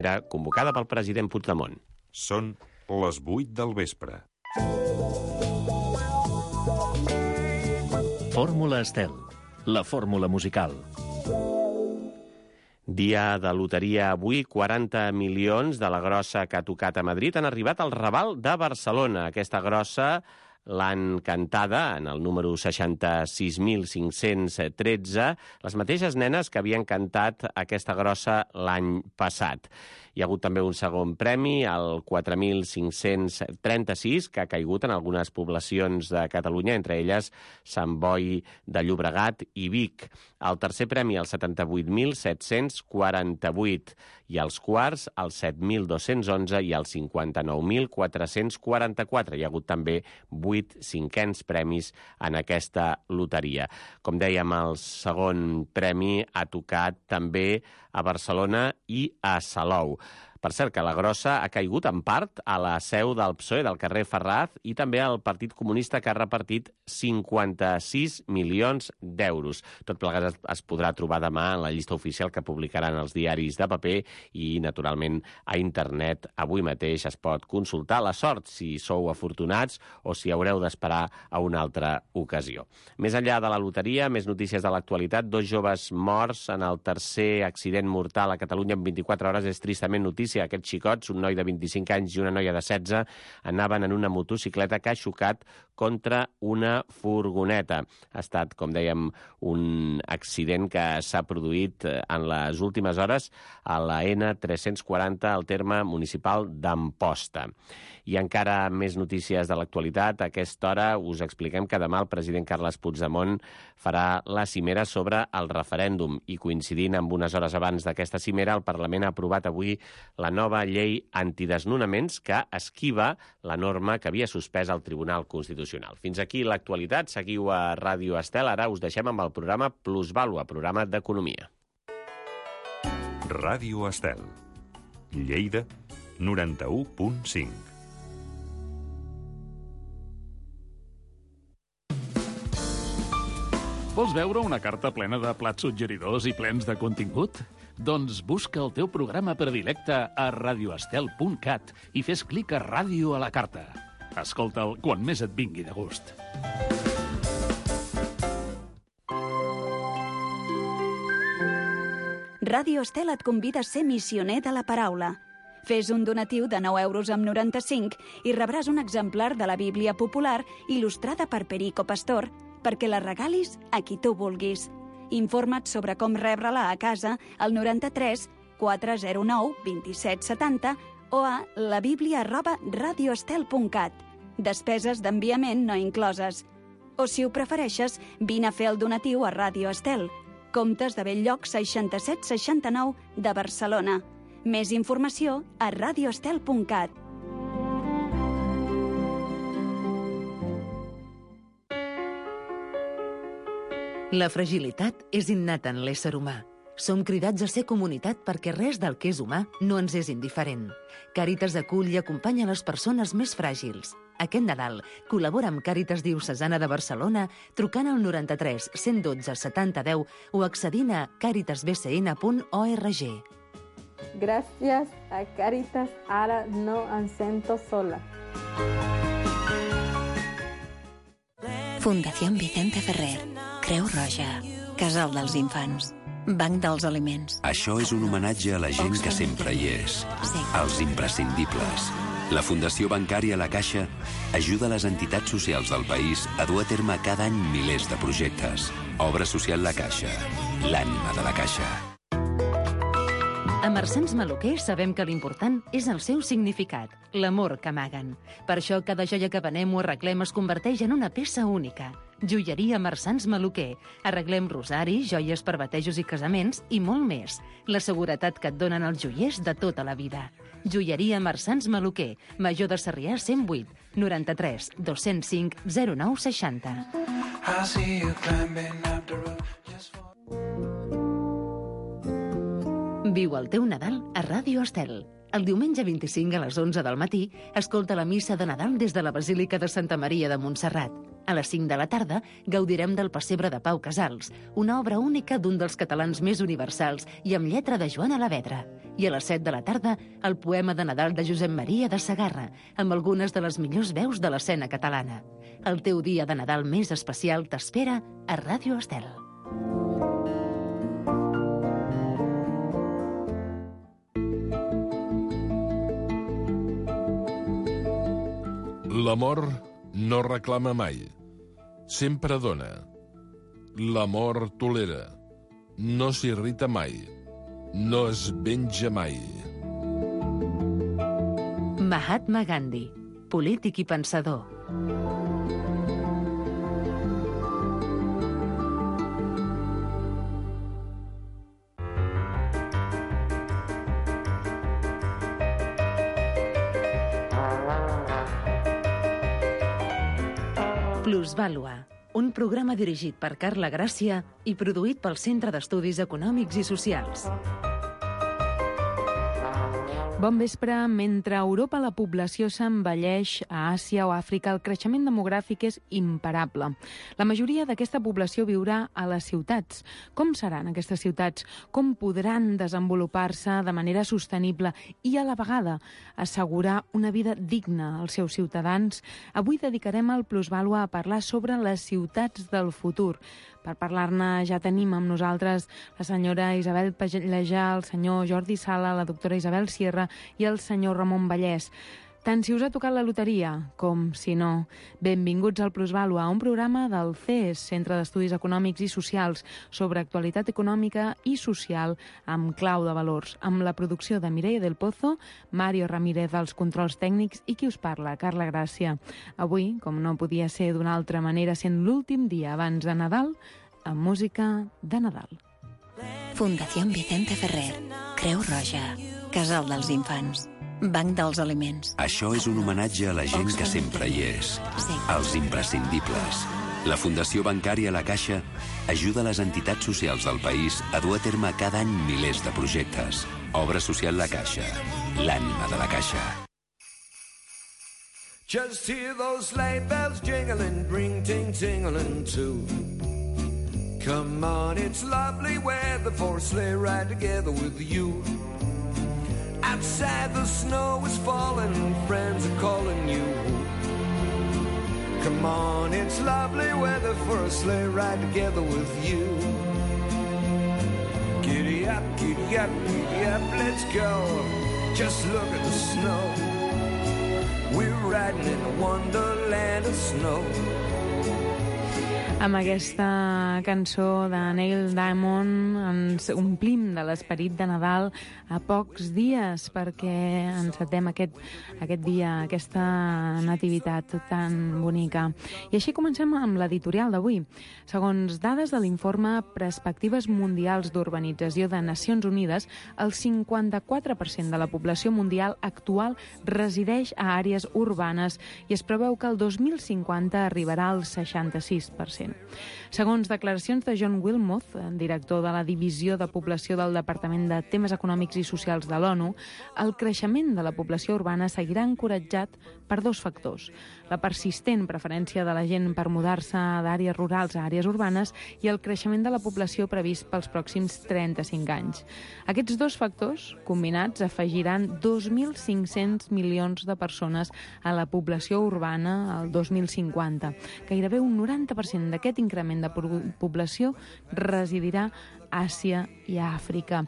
era convocada pel president Puigdemont. Són les 8 del vespre. Fórmula Estel, la fórmula musical. Dia de loteria avui, 40 milions de la grossa que ha tocat a Madrid han arribat al Raval de Barcelona. Aquesta grossa l'han cantada en el número 66.513, les mateixes nenes que havien cantat aquesta grossa l'any passat. Hi ha hagut també un segon premi, el 4.536, que ha caigut en algunes poblacions de Catalunya, entre elles Sant Boi de Llobregat i Vic. El tercer premi, el 78.748, i els quarts, el 7.211 i el 59.444. Hi ha hagut també 8 cinquens premis en aquesta loteria. Com dèiem, el segon premi ha tocat també a Barcelona i a Salou. Per cert, que la grossa ha caigut en part a la seu del PSOE del carrer Ferraz i també al Partit Comunista, que ha repartit 56 milions d'euros. Tot plegat es podrà trobar demà en la llista oficial que publicaran els diaris de paper i, naturalment, a internet. Avui mateix es pot consultar la sort, si sou afortunats o si haureu d'esperar a una altra ocasió. Més enllà de la loteria, més notícies de l'actualitat. 2 joves morts en el tercer accident mortal a Catalunya en 24 hores. És tristament notícia. Aquests xicots, un noi de 25 anys i una noia de 16, anaven en una motocicleta que ha xocat contra una furgoneta. Ha estat, com dèiem, un accident que s'ha produït en les últimes hores a la N340 al terme municipal d'Amposta. I encara més notícies de l'actualitat. A aquesta hora us expliquem que demà el president Carles Puigdemont farà la cimera sobre el referèndum i, coincidint amb unes hores abans d'aquesta cimera, el Parlament ha aprovat avui la nova llei antidesnonaments que esquiva la norma que havia suspès el Tribunal Constitucional. Fins aquí l'actualitat. Seguiu a Ràdio Estel. Ara us deixem amb el programa Plusvàlua, programa d'economia. Ràdio Estel. Lleida, 91.5. Vols veure una carta plena de plats suggeridors i plens de contingut? Doncs busca el teu programa predilecte a radioestel.cat i fes clic a Ràdio a la carta. Escolta'l quan més et vingui de gust. Ràdio Estel et convida a ser missioner de la paraula. Fes un donatiu de 9,95 € i rebràs un exemplar de la Bíblia popular il·lustrada per Perico Pastor perquè la regalis a qui tu vulguis. Informa't sobre com rebre-la a casa al 93 409 27 70 o a labiblia@radioestel.cat. Despeses d'enviament no incloses. O, si ho prefereixes, vine a fer el donatiu a Ràdio Estel. Comptes de Belllloc 6769 de Barcelona. Més informació a radioestel.cat. La fragilitat és innata en l'ésser humà. Som cridats a ser comunitat perquè res del que és humà no ens és indiferent. Càritas acull i acompanya les persones més fràgils. Aquest Nadal col·labora amb Càritas Diocesana de Barcelona trucant al 93 112 70 10 o accedint a caritasbcn.org. Gràcies a Càritas, ara no em sento sola. Fundació Vicente Ferrer, Creu Roja, Casal dels Infants, Banc dels Aliments. Això és un homenatge a la gent que sempre hi és, als imprescindibles. La Fundació Bancària La Caixa ajuda les entitats socials del país a dur a terme cada any milers de projectes. Obra social La Caixa, l'ànima de la Caixa. A Marsans Maluquer sabem que l'important és el seu significat, l'amor que amaguen. Per això cada joia que venem o arreglem es converteix en una peça única. Joieria Marsans Maluquer. Arreglem rosaris, joies per batejos i casaments i molt més. La seguretat que et donen els joiers de tota la vida. Joieria Marsans Maluquer, Major de Sarrià 108, 93 205 09 60. Viu el teu Nadal a Ràdio Estel. El diumenge 25 a les 11 del matí escolta la missa de Nadal des de la Basílica de Santa Maria de Montserrat. A les 5 de la tarda gaudirem del Pessebre de Pau Casals, una obra única d'un dels catalans més universals i amb lletra de Joan Alavedra. I a les 7 de la tarda, el poema de Nadal de Josep Maria de Sagarra, amb algunes de les millors veus de l'escena catalana. El teu dia de Nadal més especial t'espera a Ràdio Estel. L'amor no reclama mai, sempre dona. L'amor tolera, no s'irrita mai, no es venja mai. Mahatma Gandhi, polític i pensador. Plusvàlua, un programa dirigit per Carla Gràcia i produït pel Centre d'Estudis Econòmics i Socials. Bon vespre. Mentre a Europa la població s'envelleix, a Àsia o Àfrica el creixement demogràfic és imparable. La majoria d'aquesta població viurà a les ciutats. Com seran aquestes ciutats? Com podran desenvolupar-se de manera sostenible i a la vegada assegurar una vida digna als seus ciutadans? Avui dedicarem el Plusvàlua a parlar sobre les ciutats del futur. Per parlar-ne ja tenim amb nosaltres la senyora Isabel Pallejà, el senyor Jordi Sala, la doctora Isabel Sierra i el senyor Ramon Vallès. Tant si us ha tocat la loteria com si no. Benvinguts al Plusvàlua, un programa del CES, Centre d'Estudis Econòmics i Socials, sobre actualitat econòmica i social amb clau de valors, amb la producció de Mireia del Pozo, Mario Ramírez als controls tècnics i qui us parla, Carla Gràcia. Avui, com no podia ser d'una altra manera, sent l'últim dia abans de Nadal, amb música de Nadal. Fundació Vicente Ferrer, Creu Roja, Casal dels Infants, Banc dels Aliments. Això és un homenatge a la gent que sempre hi és, als imprescindibles. La Fundació Bancària La Caixa ajuda les entitats socials del país a dur a terme cada any milers de projectes. Obra social La Caixa, l'ànima de la Caixa. Just hear those sleigh bells jingling, ring ting tingling too. Come on, it's lovely weather for a sleigh ride together with you. Outside the snow is falling and friends are calling you. Come on, it's lovely weather for a sleigh ride together with you. Giddy up, giddy up, giddy up, let's go. Just look at the snow. We're riding in a wonderland of snow. Amb aquesta cançó de Neil Diamond ens omplim de l'esperit de Nadal a pocs dies perquè encetem aquest dia, aquesta nativitat tan bonica. I així comencem amb l'editorial d'avui. Segons dades de l'informe Perspectives Mundials d'Urbanització de Nacions Unides, el 54% de la població mundial actual resideix a àrees urbanes i es preveu que el 2050 arribarà al 66%. Segons declaracions de John Wilmoth, director de la Divisió de Població del Departament de Temes Econòmics i Socials de l'ONU, el creixement de la població urbana seguirà encoratjat per dos factors: la persistent preferència de la gent per mudar-se d'àrees rurals a àrees urbanes i el creixement de la població previst pels pròxims 35 anys. Aquests dos factors, combinats, afegiran 2.500 milions de persones a la població urbana al 2050. Gairebé un 90% d'aquest increment de població residirà a Àsia i a Àfrica.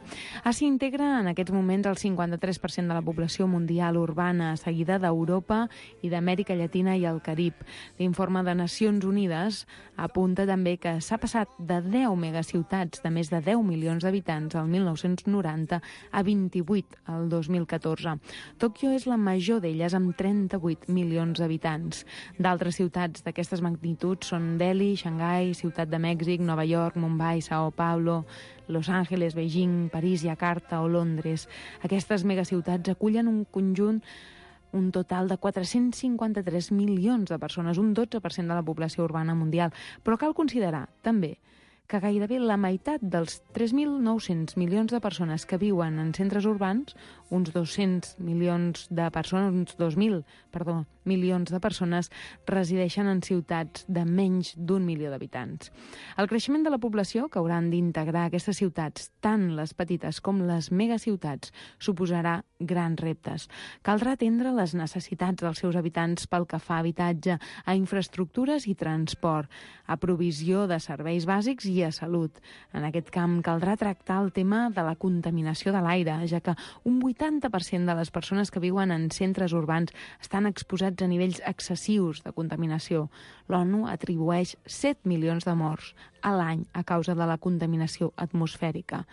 Àsia integra en aquests moments el 53% de la població mundial urbana, seguida d'Europa i d'Amèrica Llatina i el Carib. L'informe de Nacions Unides apunta també que s'ha passat de 10 megaciutats de més de 10 milions d'habitants al 1990 a 28 al 2014. Tòquio és la major d'elles amb 38 milions d'habitants. D'altres ciutats d'aquestes magnituds són Delhi, Xangai, Ciutat de Mèxic, Nova York, Mumbai, Sao Paulo, Los Angeles, Beijing, París, Jakarta o Londres. Aquestes megaciutats acullen un total de 453 milions de persones, un 12% de la població urbana mundial. Però cal considerar, també, que gairebé la meitat dels 3.900 milions de persones que viuen en centres urbans, uns 200 milions de persones, uns 2.000, perdó, milions de persones resideixen en ciutats de menys d'1 milió d'habitants. El creixement de la població que hauran d'integrar aquestes ciutats, tant les petites com les megaciutats, suposarà grans reptes. Caldrà atendre les necessitats dels seus habitants pel que fa a habitatge, a infraestructures i transport, a provisió de serveis bàsics i a salut. En aquest camp caldrà tractar el tema de la contaminació de l'aire, ja que un 80% de les persones que viuen en centres urbans estan exposats a nivells excessius de contaminació. L'ONU atribueix 7 milions de morts a l'any a causa de la contaminació atmosfèrica.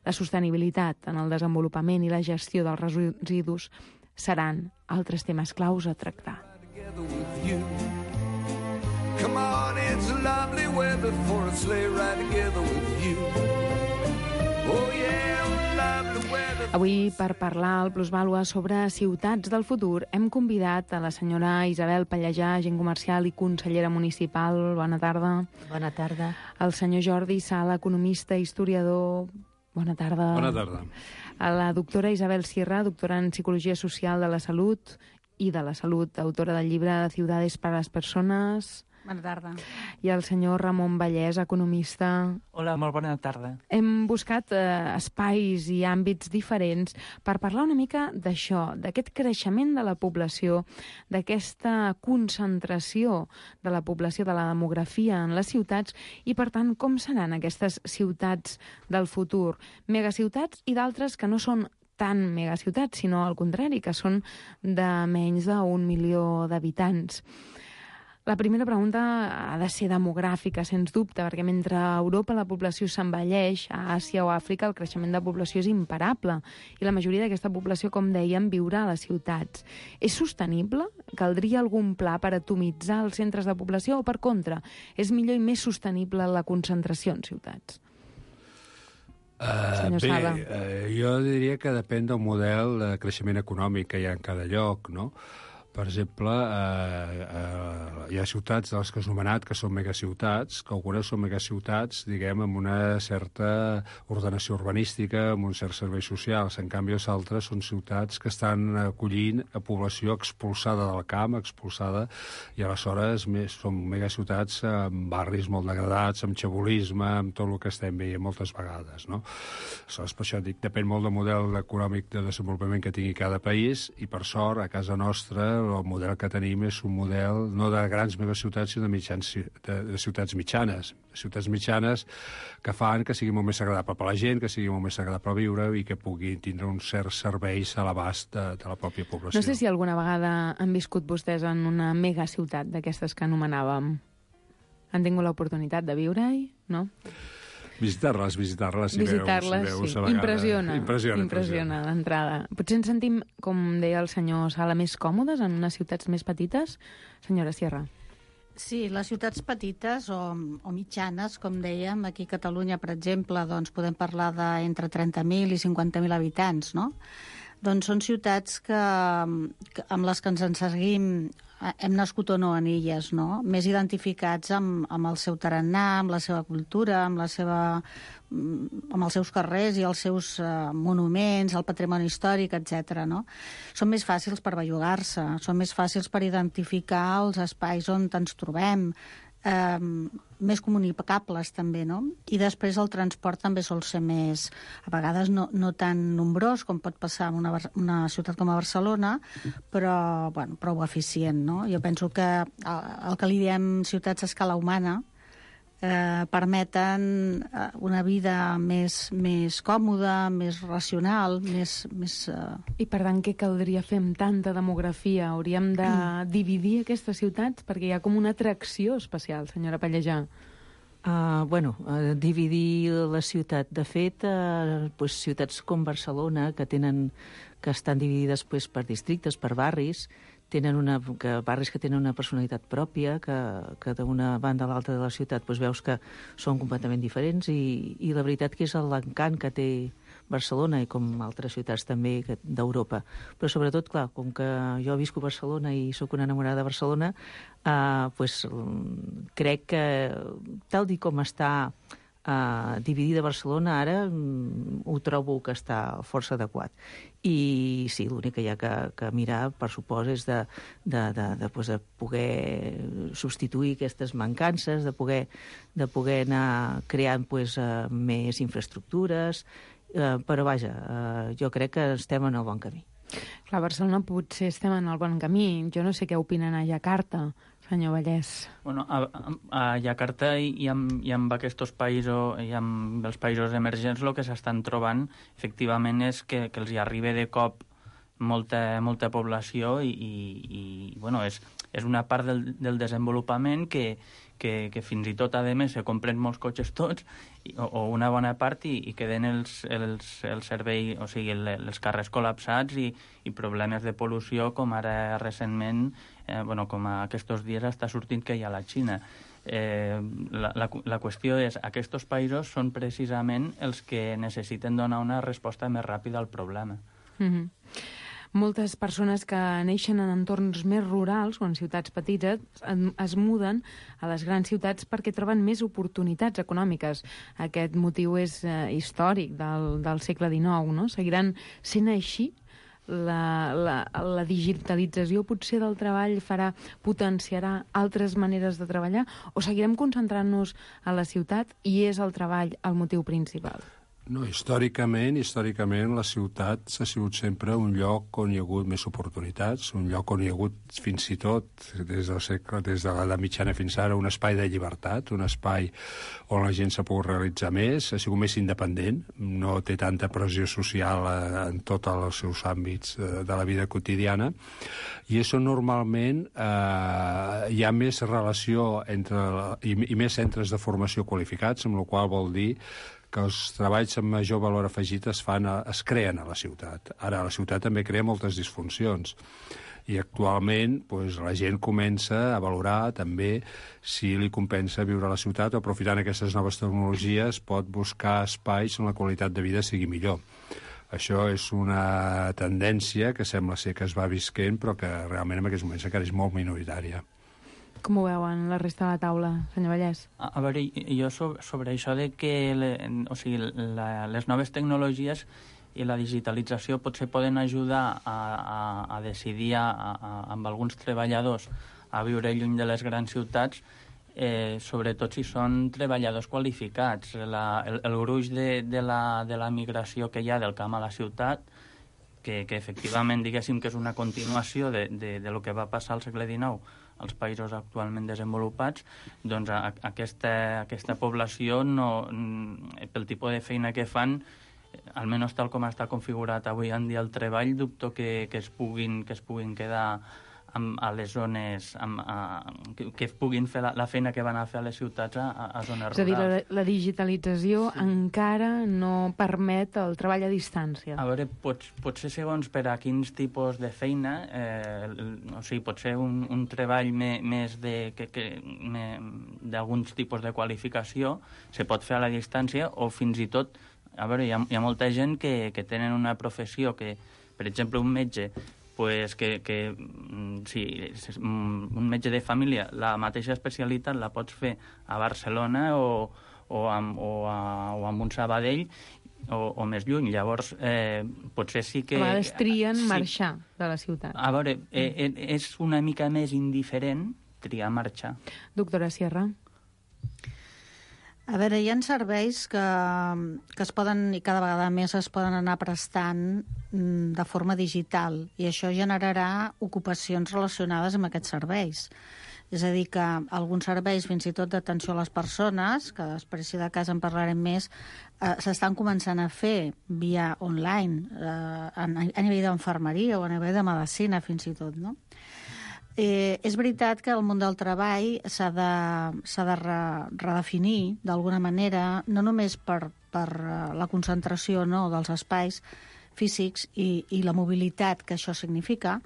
La sostenibilitat en el desenvolupament i la gestió dels residus seran altres temes claus a tractar. Come on, it's lovely weather for a sleigh ride together with you. Oh yeah, lovely weather. Avui, per parlar al Plusvàlua sobre ciutats del futur, hem convidat a la senyora Isabel Pallejà, agent comercial i consellera municipal. Bona tarda. Bona tarda. El senyor Jordi Sala, economista i historiador. Bona tarda. Bona tarda. A la doctora Isabel Sierra, doctora en Psicologia Social de la Salut i de la Salut, autora del llibre Ciudades para las Personas. Bona tarda. I el senyor Ramon Vallès, economista. Hola, molt bona tarda. Hem buscat espais i àmbits diferents per parlar una mica d'això, d'aquest creixement de la població, d'aquesta concentració de la població, de la demografia en les ciutats i, per tant, com seran aquestes ciutats del futur. Megaciutats i d'altres que no són tan megaciutats, sinó al contrari, que són de menys d'1 milió d'habitants. La primera pregunta ha de ser demogràfica, sens dubte, perquè mentre a Europa la població s'envelleix, a Àsia o Àfrica el creixement de població és imparable i la majoria d'aquesta població, com dèiem, viurà a les ciutats. És sostenible? Caldria algun pla per atomitzar els centres de població o, per contra, és millor i més sostenible la concentració en ciutats? Jo diria que depèn del model de creixement econòmic que hi ha en cada lloc, no? Per exemple, hi ha ciutats de les que has anomenat que són megaciutats, que algunes són megaciutats, diguem, amb una certa ordenació urbanística, amb uns certs serveis socials. En canvi, els altres són ciutats que estan acollint a població expulsada del camp, expulsada, i aleshores són megaciutats amb barris molt degradats, amb xabolisme, amb tot el que estem veient moltes vegades, no? Aleshores, per això dic, depèn molt del model econòmic de desenvolupament que tingui cada país, i per sort, a casa nostra, el model que tenim és un model no de grans megaciutats, sinó de ciutats mitjanes. Ciutats mitjanes que fan que sigui molt més agradable per la gent, que sigui molt més agradable viure i que puguin tindre uns certs serveis a l'abast de la pròpia població. No sé si alguna vegada han viscut vostès en una megaciutat d'aquestes que anomenàvem. Han tingut l'oportunitat de viure-hi, no? Visitar-les, si veus a vegades. Impressiona d'entrada. Potser ens sentim, com deia el senyor Sala, més còmodes en unes ciutats més petites? Senyora Sierra. Sí, les ciutats petites o mitjanes, com dèiem, aquí a Catalunya, per exemple, doncs podem parlar d'entre 30.000 i 50.000 habitants, no? Doncs són ciutats amb les que ens en seguim, hem nascut o no en elles, no? Més identificats amb el seu tarannà, amb la seva cultura, amb els seus carrers i els seus monuments, el patrimoni històric, etc. No? Són més fàcils per bellugar-se, són més fàcils per identificar els espais on ens trobem, més comunicables també, no? I després el transport també sol ser més, a vegades no tan nombrós com pot passar en una ciutat com a Barcelona, però prou eficient, no? Jo penso que el que li diem ciutats a escala humana permeten una vida més còmoda, més racional, més... I per tant, què caldria fer amb tanta demografia? Hauríem de dividir aquestes ciutats perquè hi ha com una atracció especial, senyora Pallejà. Dividir la ciutat. De fet, ciutats com Barcelona, que estan dividides per districtes, per barris, barris que tenen una personalitat pròpia, que d'una banda a l'altra de la ciutat veus que són completament diferents, i la veritat que és l'encant que té Barcelona i com altres ciutats també d'Europa. Però sobretot, clar, com que jo visco a Barcelona i sóc una enamorada de Barcelona, crec que tal com està Dividir de Barcelona ara ho trobo que està força adequat. I sí, l'únic que hi ha que mirar, per supòs, és de poder substituir aquestes mancances, de poder anar creant més infraestructures, però vaja, jo crec que estem en el bon camí. Clar, a Barcelona potser estem en el bon camí. Jo no sé què opinen a Jakarta, senyor Vallès. Bueno, a Jakarta i amb aquests països, i amb els països emergents, el que s'estan trobant, efectivament, és que els hi arriba de cop molta població i bueno, és una part del desenvolupament que fins i tot, a més, se compren molts cotxes tots, o una bona part, i queden els serveis, o sigui, els carrers col·lapsats i problemes de pol·lució, com ara recentment, com aquests dies està sortint que hi ha a la Xina. La qüestió és, aquests països són precisament els que necessiten donar una resposta més ràpida al problema. Moltes persones que neixen en entorns més rurals o en ciutats petites es muden a les grans ciutats perquè troben més oportunitats econòmiques. Aquest motiu és històric del segle XIX, no? Seguiran sent així? La digitalització potser del treball potenciarà altres maneres de treballar, o seguirem concentrant-nos a la ciutat i és el treball el motiu principal? No, històricament, la ciutat ha sigut sempre un lloc on hi ha hagut més oportunitats, un lloc on hi ha hagut fins i tot, des de l'edat mitjana fins ara, un espai de llibertat, un espai on la gent s'ha pogut realitzar més, ha sigut més independent, no té tanta pressió social en tots els seus àmbits de la vida quotidiana, i això normalment hi ha més relació i més centres de formació qualificats, amb la qual vol dir que els treballs amb major valor afegit es creen a la ciutat. Ara, la ciutat també crea moltes disfuncions i actualment la gent comença a valorar també si li compensa viure a la ciutat o, aprofitant aquestes noves tecnologies, pot buscar espais on la qualitat de vida sigui millor. Això és una tendència que sembla ser que es va visquent, però que realment en aquests moments encara és molt minoritària. Com ho veuen la resta de la taula, senyor Vallès? A veure, jo sobre això de que les noves tecnologies i la digitalització potser poden ajudar a decidir amb alguns treballadors a viure lluny de les grans ciutats, sobretot si són treballadors qualificats. El gruix de la migració que hi ha del camp a la ciutat, que efectivament diguéssim que és una continuació de lo que va passar al segle XIX als països actualment desenvolupats, doncs aquesta població, pel tipus de feina que fan, almenys tal com està configurat avui en dia el treball, dubto que es puguin quedar a les zones, que puguin fer la feina que van a fer a les ciutats a zones rurals. És a dir, la digitalització encara no permet el treball a distància. A veure, potser segons per a quins tipus de feina, o sigui, potser un treball més d'alguns tipus de qualificació se pot fer a la distància, o fins i tot, a veure, hi ha molta gent que tenen una professió que, per exemple, un metge, un metge de família, la mateixa especialitat la pots fer a Barcelona o amb un Sabadell o més lluny. Llavors, potser sí que... A vegades trien marxar de la ciutat. A veure, és una mica més indiferent triar marxar. Doctora Sierra. A veure, hi ha serveis que es poden, i cada vegada més es poden anar prestant de forma digital, i això generarà ocupacions relacionades amb aquests serveis. És a dir, que alguns serveis, fins i tot d'atenció a les persones, que després, si de cas en parlarem més, s'estan començant a fer via online, a nivell d'infermeria o a nivell de medicina, fins i tot, no? És veritat que el món del treball s'ha de redefinir d'alguna manera, no només per la concentració dels espais físics i la mobilitat que això significa,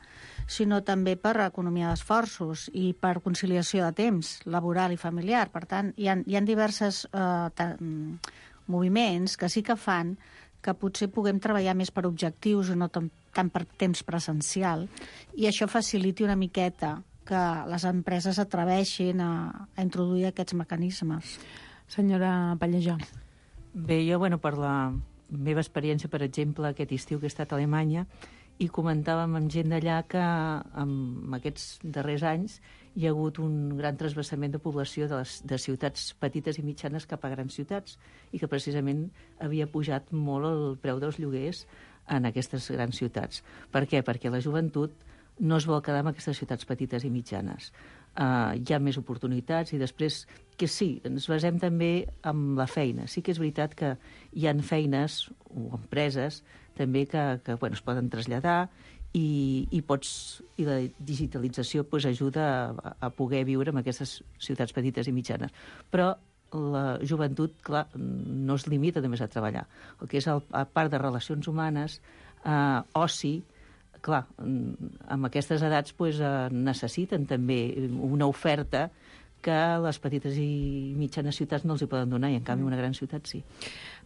sinó també per economia d'esforços i per conciliació de temps laboral i familiar. Per tant, hi ha diversos moviments que sí que fan que potser puguem treballar més per objectius i no tant per temps presencial, i això faciliti una miqueta que les empreses atreveixin a introduir aquests mecanismes. Senyora Pallejà. Bé, jo, per la meva experiència, per exemple, aquest estiu que he estat a Alemanya, i comentàvem amb gent d'allà que en aquests darrers anys hi ha hagut un gran transvasament de població de ciutats petites i mitjanes cap a grans ciutats i que precisament havia pujat molt el preu dels lloguers en aquestes grans ciutats. Per què? Perquè la joventut no es vol quedar en aquestes ciutats petites i mitjanes. Hi ha més oportunitats i després, que sí, ens basem també en la feina. Sí que és veritat que hi ha feines o empreses també que es poden traslladar i la digitalització ajuda a poder viure en aquestes ciutats petites i mitjanes. Però la joventut, clar, no es limita només a treballar. El que és a part de relacions humanes, oci, clar, amb aquestes edats necessiten també una oferta que les petites i mitjanes ciutats no els hi poden donar, i en canvi una gran ciutat sí.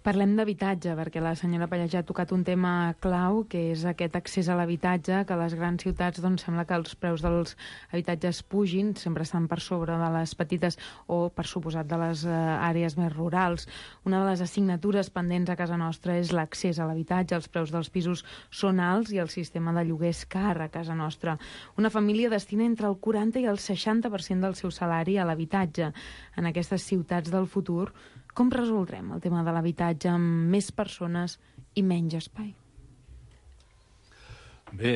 Parlem d'habitatge, perquè la senyora Pallejà ha tocat un tema clau, que és aquest accés a l'habitatge, que a les grans ciutats sembla que els preus dels habitatges pugin, sempre estan per sobre de les petites o, per suposat, de les àrees més rurals. Una de les assignatures pendents a casa nostra és l'accés a l'habitatge. Els preus dels pisos són alts i el sistema de lloguer és car a casa nostra. Una família destina entre el 40 i el 60% del seu salari a l'habitatge. En aquestes ciutats del futur, com resoldrem el tema de l'habitatge amb més persones i menys espai? Bé,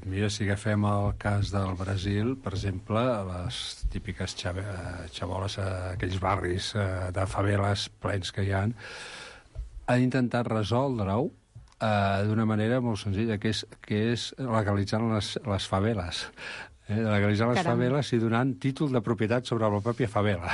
mira, si agafem el cas del Brasil, per exemple, les típiques xaboles, aquells barris de faveles plens que hi ha, han intentat resoldre-ho d'una manera molt senzilla, que és legalitzant les faveles. Legalitzar les faveles i donant títol de propietat sobre la pròpia favela,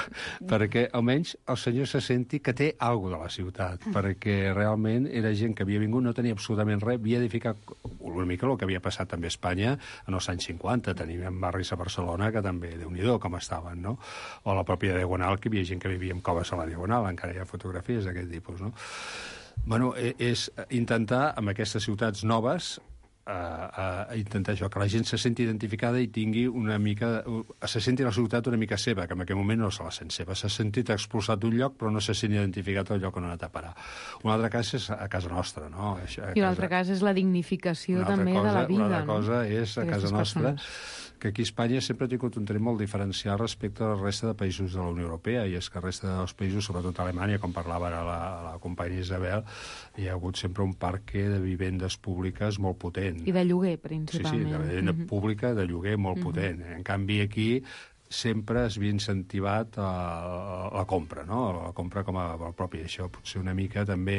perquè almenys el senyor se senti que té alguna de la ciutat, perquè realment era gent que havia vingut, no tenia absolutament res, havia edificat una mica el que havia passat també a Espanya en els anys 50. Teníem barris a Barcelona que també, Déu-n'hi-do, com estaven, no? O la pròpia Diagonal, que hi havia gent que vivia en coves a la Diagonal, encara hi ha fotografies d'aquest tipus, no? Bueno, és intentar, amb aquestes ciutats noves, a intentar això, que la gent se senti identificada i tingui una mica... se senti la ciutat una mica seva, que en aquell moment no se la sent seva. S'ha sentit expulsat d'un lloc, però no se sent identificat al lloc on ha anat a parar. Un altre cas és a casa nostra, no? I un altre cas és la dignificació també de la vida, no? Una altra cosa és a casa nostra, que aquí a Espanya sempre ha tingut un tret molt diferencial respecte a la resta de països de la Unió Europea, i és que la resta dels països, sobretot a Alemanya, com parlava ara la companya Isabel, hi ha hagut sempre un parc de vivendes públiques molt potent. I de lloguer, principalment. Sí, de vivenda pública, de lloguer molt potent. En canvi, aquí sempre es havia incentivat la compra, no? La compra com a pròpia. Això potser una mica també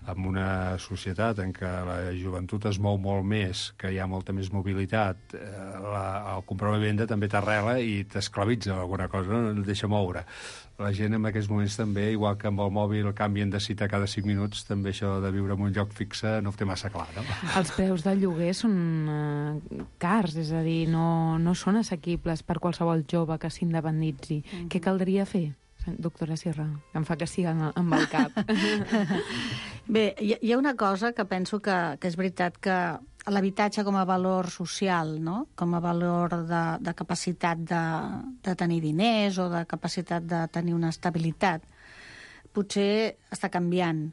en una societat en què la joventut es mou molt més, que hi ha molta més mobilitat, el comprar una vivenda també t'arrela i t'esclavitza alguna cosa, no et deixa moure. La gent en aquests moments també, igual que amb el mòbil canvien de cita cada 5 minuts, també això de viure en un lloc fixe no ho té massa clar, no? Els preus del lloguer són cars, és a dir, no són assequibles per qualsevol jove que s'independitzi. Què caldria fer? Doctora Sierra, que em fa que sí amb el cap. Bé, hi ha una cosa que penso que és veritat, que l'habitatge com a valor social, no? Com a valor de capacitat de tenir diners o de capacitat de tenir una estabilitat, potser està canviant.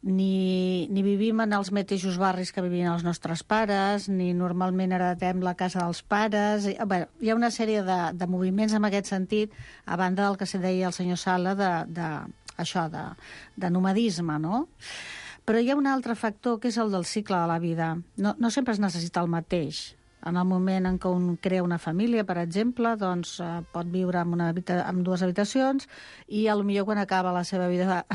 Ni vivim en els mateixos barris que vivien els nostres pares, ni normalment heretem la casa dels pares. Bé, hi ha una sèrie de moviments en aquest sentit, a banda del que se deia el senyor Sala de nomadisme, no? Però hi ha un altre factor, que és el del cicle de la vida. No sempre es necessita el mateix. En el moment en què un crea una família, per exemple, doncs pot viure amb 2 habitacions i potser quan acaba la seva vida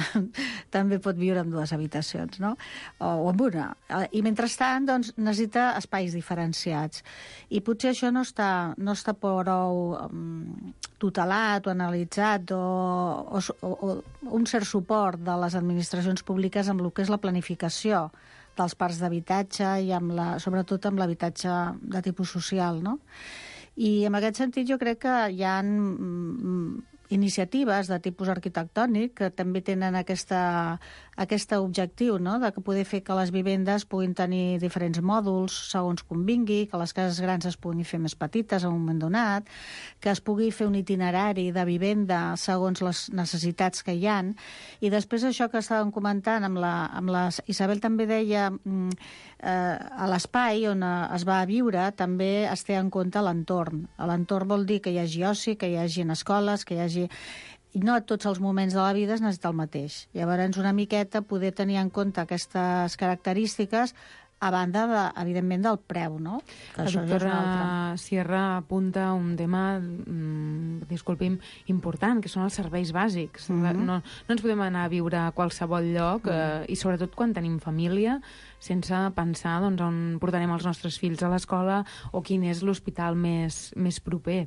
també pot viure amb 2 habitacions, no? O amb una. I mentrestant, doncs, necessita espais diferenciats. I potser això no està prou tutelat o analitzat o un cert suport de les administracions públiques amb el que és la planificació dels parcs d'habitatge i sobretot amb l'habitatge de tipus social, no? I en aquest sentit jo crec que hi ha iniciatives de tipus arquitectònic que també tenen aquest objectiu, no?, de poder fer que les vivendes puguin tenir diferents mòduls segons convingui, que les cases grans es puguin fer més petites en un moment donat, que es pugui fer un itinerari de vivenda segons les necessitats que hi ha. I després això que estàvem comentant amb les... Isabel també deia a l'espai on es va a viure també es té en compte l'entorn. L'entorn vol dir que hi hagi oci, que hi hagi escoles, que hi hagi... I no a tots els moments de la vida es necessita el mateix. Llavors, una miqueta poder tenir en compte aquestes característiques a banda, evidentment, del preu, no? Que la doctora Sierra apunta un tema, disculpi'm, important, que són els serveis bàsics. No ens podem anar a viure a qualsevol lloc, i sobretot quan tenim família, sense pensar doncs, on portarem els nostres fills a l'escola o quin és l'hospital més proper.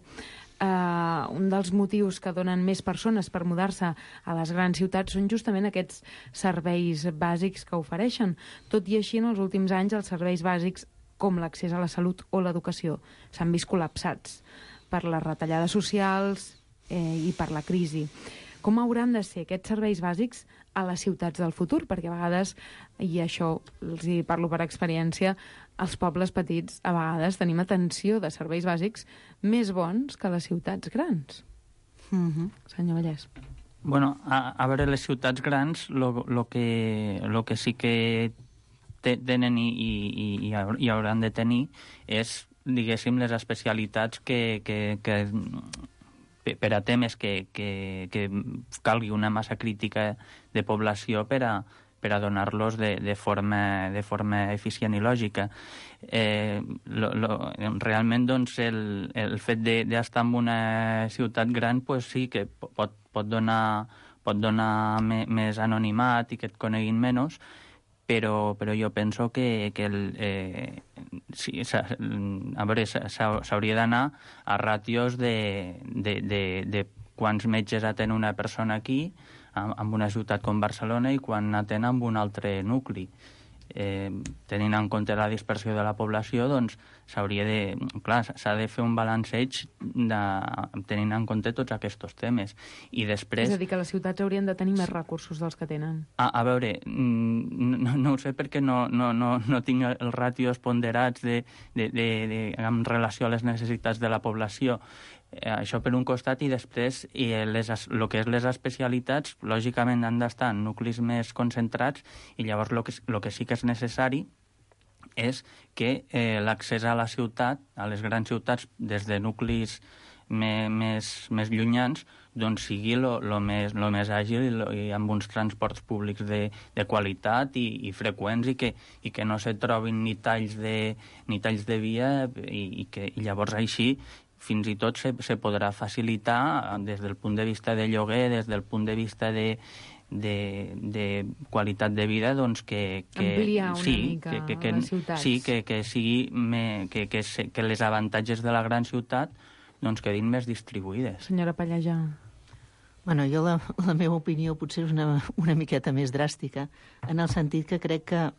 Un dels motius que donen més persones per mudar-se a les grans ciutats són justament aquests serveis bàsics que ofereixen. Tot i així, en els últims anys, els serveis bàsics, com l'accés a la salut o l'educació, s'han vist col·lapsats per les retallades socials i per la crisi. Com hauran de ser aquests serveis bàsics a les ciutats del futur? Perquè a vegades, i això els hi parlo per experiència, als pobles petits a vegades tenim atenció de serveis bàsics més bons que a les ciutats grans. Senyor Vallès. Bueno, a veure, les ciutats grans lo que sí que tenen i hauran de tenir és, diguéssim, les especialitats que per a temes que calgui una massa crítica de població per a donar-los de forma eficient i lògica. Realment, doncs, el fet d'estar en una ciutat gran, pues sí que pot donar més anonimat i que et coneguin menys, però jo penso que a veure, s'hauria d'anar a ràtios de quants metges atén una persona aquí en una ciutat com Barcelona i quan atén en un altre nucli. Tenint en compte la dispersió de la població, doncs s'ha de fer un balanceig tenint en compte tots aquests temes. I després... És a dir, que les ciutats haurien de tenir més recursos dels que tenen. A veure, no ho sé perquè no tinc els ràtios ponderats en relació a les necessitats de la població. Això per un costat, i després el que és les especialitats, lògicament han d'estar en nuclis més concentrats, i llavors el que sí que és necessari és que l'accés a la ciutat, a les grans ciutats, des de nuclis més llunyans, doncs sigui el més àgil i amb uns transports públics de qualitat i freqüents, i que no se trobin ni talls de via, i que llavors així fins i tot se podrà facilitar des del punt de vista de lloguer, des del punt de vista de qualitat de vida, doncs que ampliar una mica les ciutats. Sí, que sigui que les avantatges de la gran ciutat doncs quedin més distribuïdes. Senyora Pallejà. Bueno, jo la meva opinió potser és una miqueta més dràstica, en el sentit que crec que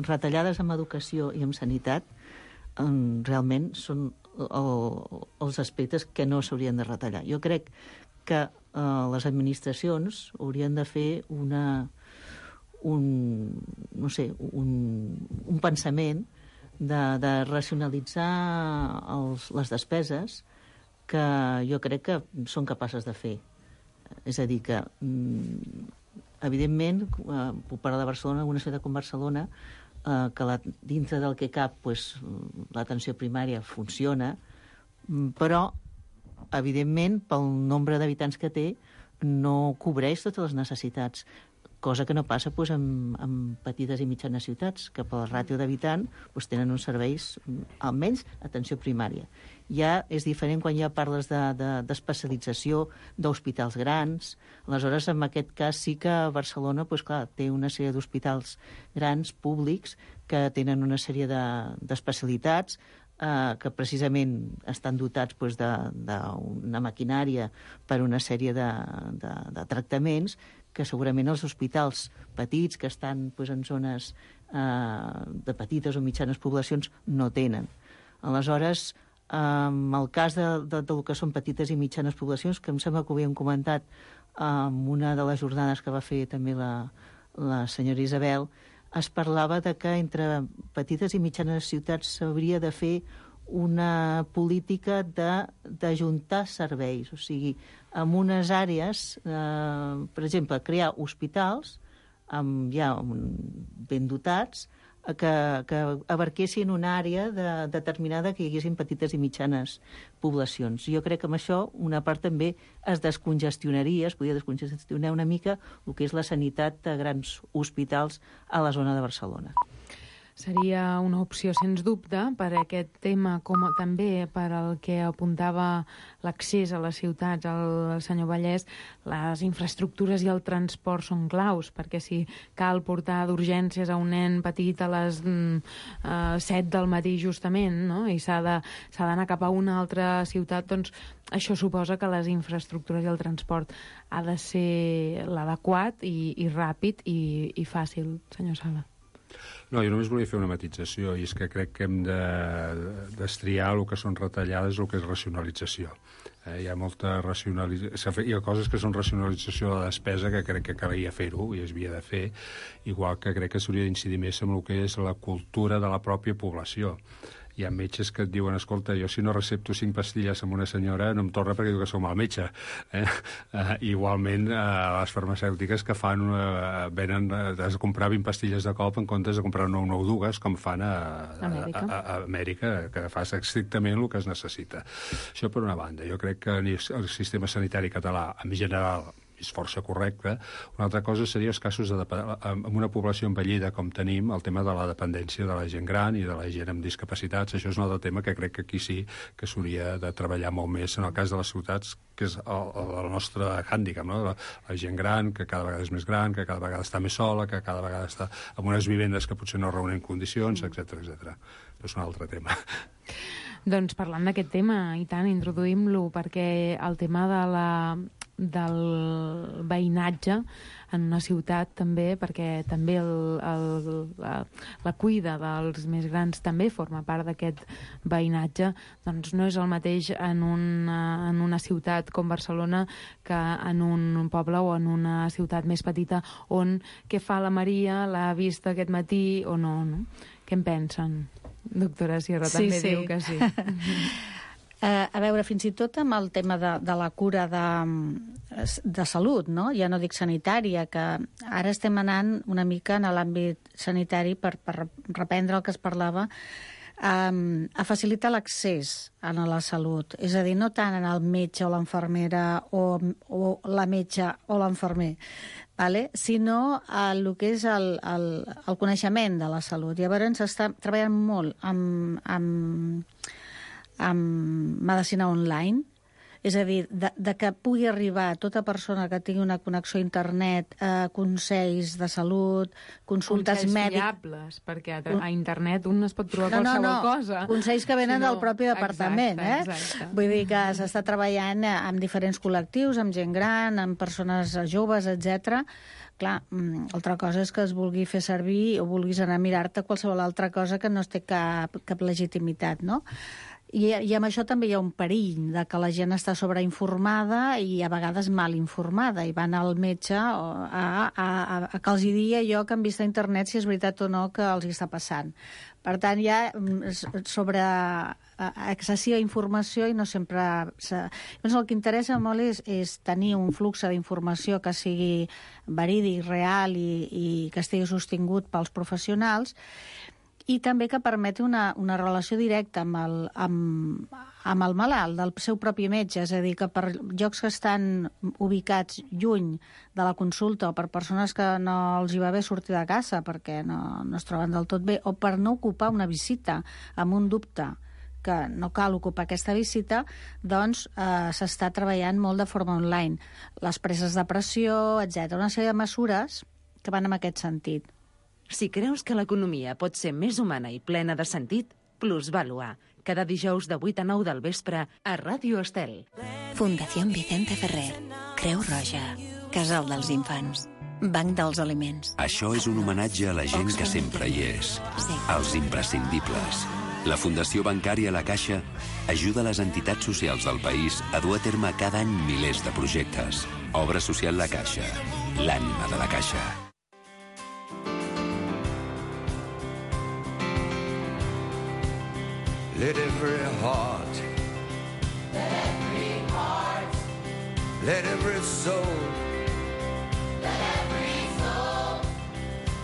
retallades en educació i en sanitat realment són els aspectes que no s'haurien de retallar. Jo crec que les administracions haurien de fer un pensament de racionalitzar les despeses que jo crec que són capaces de fer. És a dir, que evidentment, puc parlar de Barcelona, una ciutat com Barcelona, que dintre del que cap l'atenció primària funciona, però evidentment pel nombre d'habitants que té no cobreix totes les necessitats, cosa que no passa en petites i mitjanes ciutats, que per la ràtio d'habitant tenen uns serveis, almenys atenció primària. Ja és diferent quan ja parles d'especialització, d'hospitals grans. Aleshores, en aquest cas sí que Barcelona té una sèrie d'hospitals grans, públics, que tenen una sèrie d'especialitats que precisament estan dotats d'una maquinària per una sèrie de tractaments que segurament els hospitals petits que estan en zones de petites o mitjanes poblacions no tenen. Aleshores, el cas del que són petites i mitjanes poblacions, que em sembla que ho havíem comentat en una de les jornades que va fer també la senyora Isabel, es parlava de que entre petites i mitjanes ciutats s'hauria de fer una política d'ajuntar serveis. O sigui, en unes àrees, per exemple, crear hospitals ja ben dotats, que abarquessin una àrea determinada que hi haguessin petites i mitjanes poblacions. Jo crec que amb això una part també es descongestionaria, es podria descongestionar una mica el que és la sanitat de grans hospitals a la zona de Barcelona. Seria una opció, sens dubte, per aquest tema, com també per al que apuntava l'accés a les ciutats, el senyor Vallès. Les infraestructures i el transport són claus, perquè si cal portar d'urgències a un nen petit a les 7 del matí justament, no? I s'ha d'anar cap a una altra ciutat, doncs això suposa que les infraestructures i el transport ha de ser l'adequat i ràpid i fàcil, senyor Sala. No, jo només volia fer una matització, i és que crec que hem d'estriar el que són retallades i el que és racionalització. Hi ha molta racionalització, hi ha coses que són racionalització de la despesa que crec que calia fer-ho i es havia de fer, igual que crec que s'hauria d'incidir més en el que és la cultura de la pròpia població. Hi ha metges que et diuen, escolta, jo si no recepto 5 pastilles amb una senyora no em torna perquè diu que sou mal metge. Igualment, les farmacèutiques que fan, venen a comprar 20 pastilles de cop en comptes de comprar 9 o 2, com fan a Amèrica, que fa estrictament el que es necessita. Això per una banda. Jo crec que el sistema sanitari català, en general, és força correcte. Una altra cosa seria els casos amb una població envellida com tenim, el tema de la dependència de la gent gran i de la gent amb discapacitats. Això és un altre tema que crec que aquí sí que s'hauria de treballar molt més en el cas de les ciutats, que és el nostre hàndicap, no? La gent gran, que cada vegada és més gran, que cada vegada està més sola, que cada vegada està en unes vivendes que potser no reúnen condicions, etc. Però és un altre tema. Doncs parlant d'aquest tema, i tant, introduïm-lo, perquè el tema del veïnatge en una ciutat també, perquè també la cuida dels més grans també forma part d'aquest veïnatge, doncs no és el mateix en una ciutat com Barcelona que en un poble o en una ciutat més petita on què fa la Maria, l'ha vist aquest matí o no? Què en pensen? Doctora Sierra també diu que sí. A veure, fins i tot amb el tema de la cura de salut, no? Ja no dic sanitària, que ara estem anant una mica en l'àmbit sanitari per reprendre el que es parlava, a facilitar l'accés a la salut. És a dir, no tant en el metge o l'infermera o la metge o l'infermer, sinó el que és el coneixement de la salut. Llavors s'està treballant molt amb medicina online, és a dir, de que pugui arribar a tota persona que tingui una connexió a internet, consells de salut, consultes mèdiques... fiables, perquè a internet un es pot trobar qualsevol cosa. Consells que venen del propi departament. Exacte. Vull dir que s'està treballant amb diferents col·lectius, amb gent gran, amb persones joves, etc. Clar, altra cosa és que es vulgui fer servir o vulguis anar a mirar-te qualsevol altra cosa que no té cap legitimitat, no? I amb això també hi ha un perill de que la gent està sobreinformada i a vegades mal informada i van al metge a que els digui allò que han vist a internet si és veritat o no que els hi està passant. Per tant, hi ha sobre excessiva informació i no sempre... Llavors, el que interessa molt és tenir un flux d'informació que sigui verídic, real i que estigui sostingut pels professionals, i també que permeti una relació directa amb el malalt, del seu propi metge, és a dir, que per llocs que estan ubicats lluny de la consulta o per persones que no els hi va bé sortir de casa perquè no es troben del tot bé, o per no ocupar una visita amb un dubte que no cal ocupar aquesta visita, doncs s'està treballant molt de forma online. Les preses de pressió, etc. Una sèrie de mesures que van en aquest sentit. Si creus que l'economia pot ser més humana i plena de sentit, Plusvalua. Cada dijous de 8 a 9 del vespre a Ràdio Estel. Fundació Vicente Ferrer. Creu Roja. Casal dels Infants. Banc dels Aliments. Això és un homenatge a la gent que sempre hi és. Els imprescindibles. La Fundació Bancària La Caixa ajuda les entitats socials del país a dur a terme cada any milers de projectes. Obra social La Caixa, l'ànima de la Caixa. Let every heart, let every soul,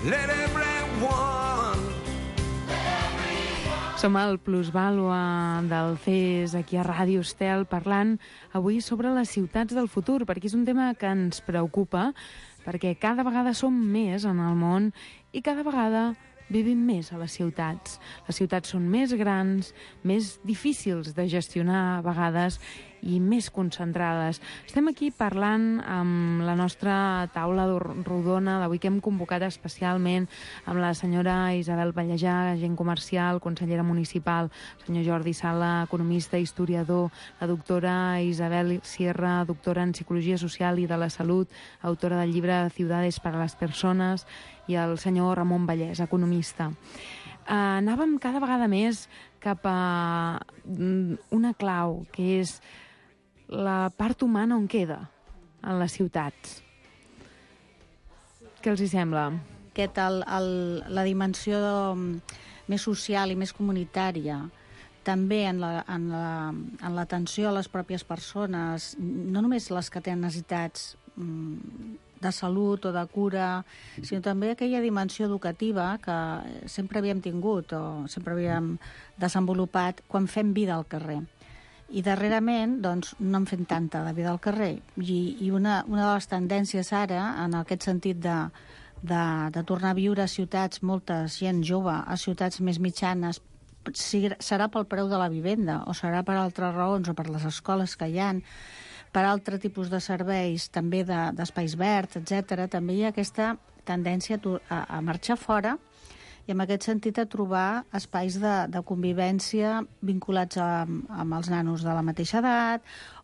let everyone. Som al Plusvàlua del CES aquí a Ràdio Estel parlant avui sobre les ciutats del futur, perquè és un tema que ens preocupa, perquè cada vegada som més en el món i cada vegada vivim més a les ciutats. Les ciutats són més grans, més difícils de gestionar a vegades i més concentrades. Estem aquí parlant amb la nostra taula rodona d'avui que hem convocat especialment amb la senyora Isabel Pallejà, agent comercial, consellera municipal, el senyor Jordi Sala, economista, historiador, la doctora Isabel Sierra, doctora en Psicologia Social i de la Salut, autora del llibre Ciudades para las Personas, i el senyor Ramon Vallès, economista. Anàvem cada vegada més cap a una clau, que és la part humana on queda en les ciutats. Què els hi sembla? La dimensió més social i més comunitària, també en l'atenció a les pròpies persones, no només les que tenen necessitats de salut o de cura, sinó també aquella dimensió educativa que sempre havíem tingut o sempre havíem desenvolupat quan fem vida al carrer. I darrerament doncs, no en fem tanta de vida al carrer. I una de les tendències ara, en aquest sentit de tornar a viure a ciutats, molta gent jove, a ciutats més mitjanes, serà pel preu de la vivenda o serà per altres raons o per les escoles que hi ha, per altre tipus de serveis, també d'espais verds, etc. També hi ha aquesta tendència a marxar fora i en aquest sentit a trobar espais de convivència vinculats amb els nanos de la mateixa edat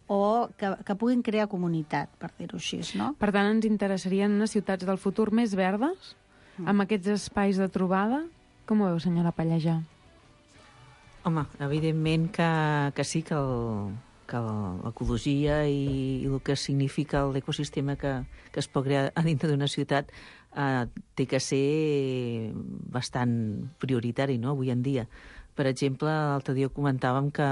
o que puguin crear comunitat, per dir-ho així, no? Per tant, ens interessarien unes ciutats del futur més verdes, amb aquests espais de trobada? Com ho veu, senyora Pallejà? Home, evidentment que sí, que l'ecologia i el que significa l'ecosistema que es pot crear a dintre d'una ciutat té que ser bastant prioritari, no?, avui en dia. Per exemple, l'altre dia comentàvem que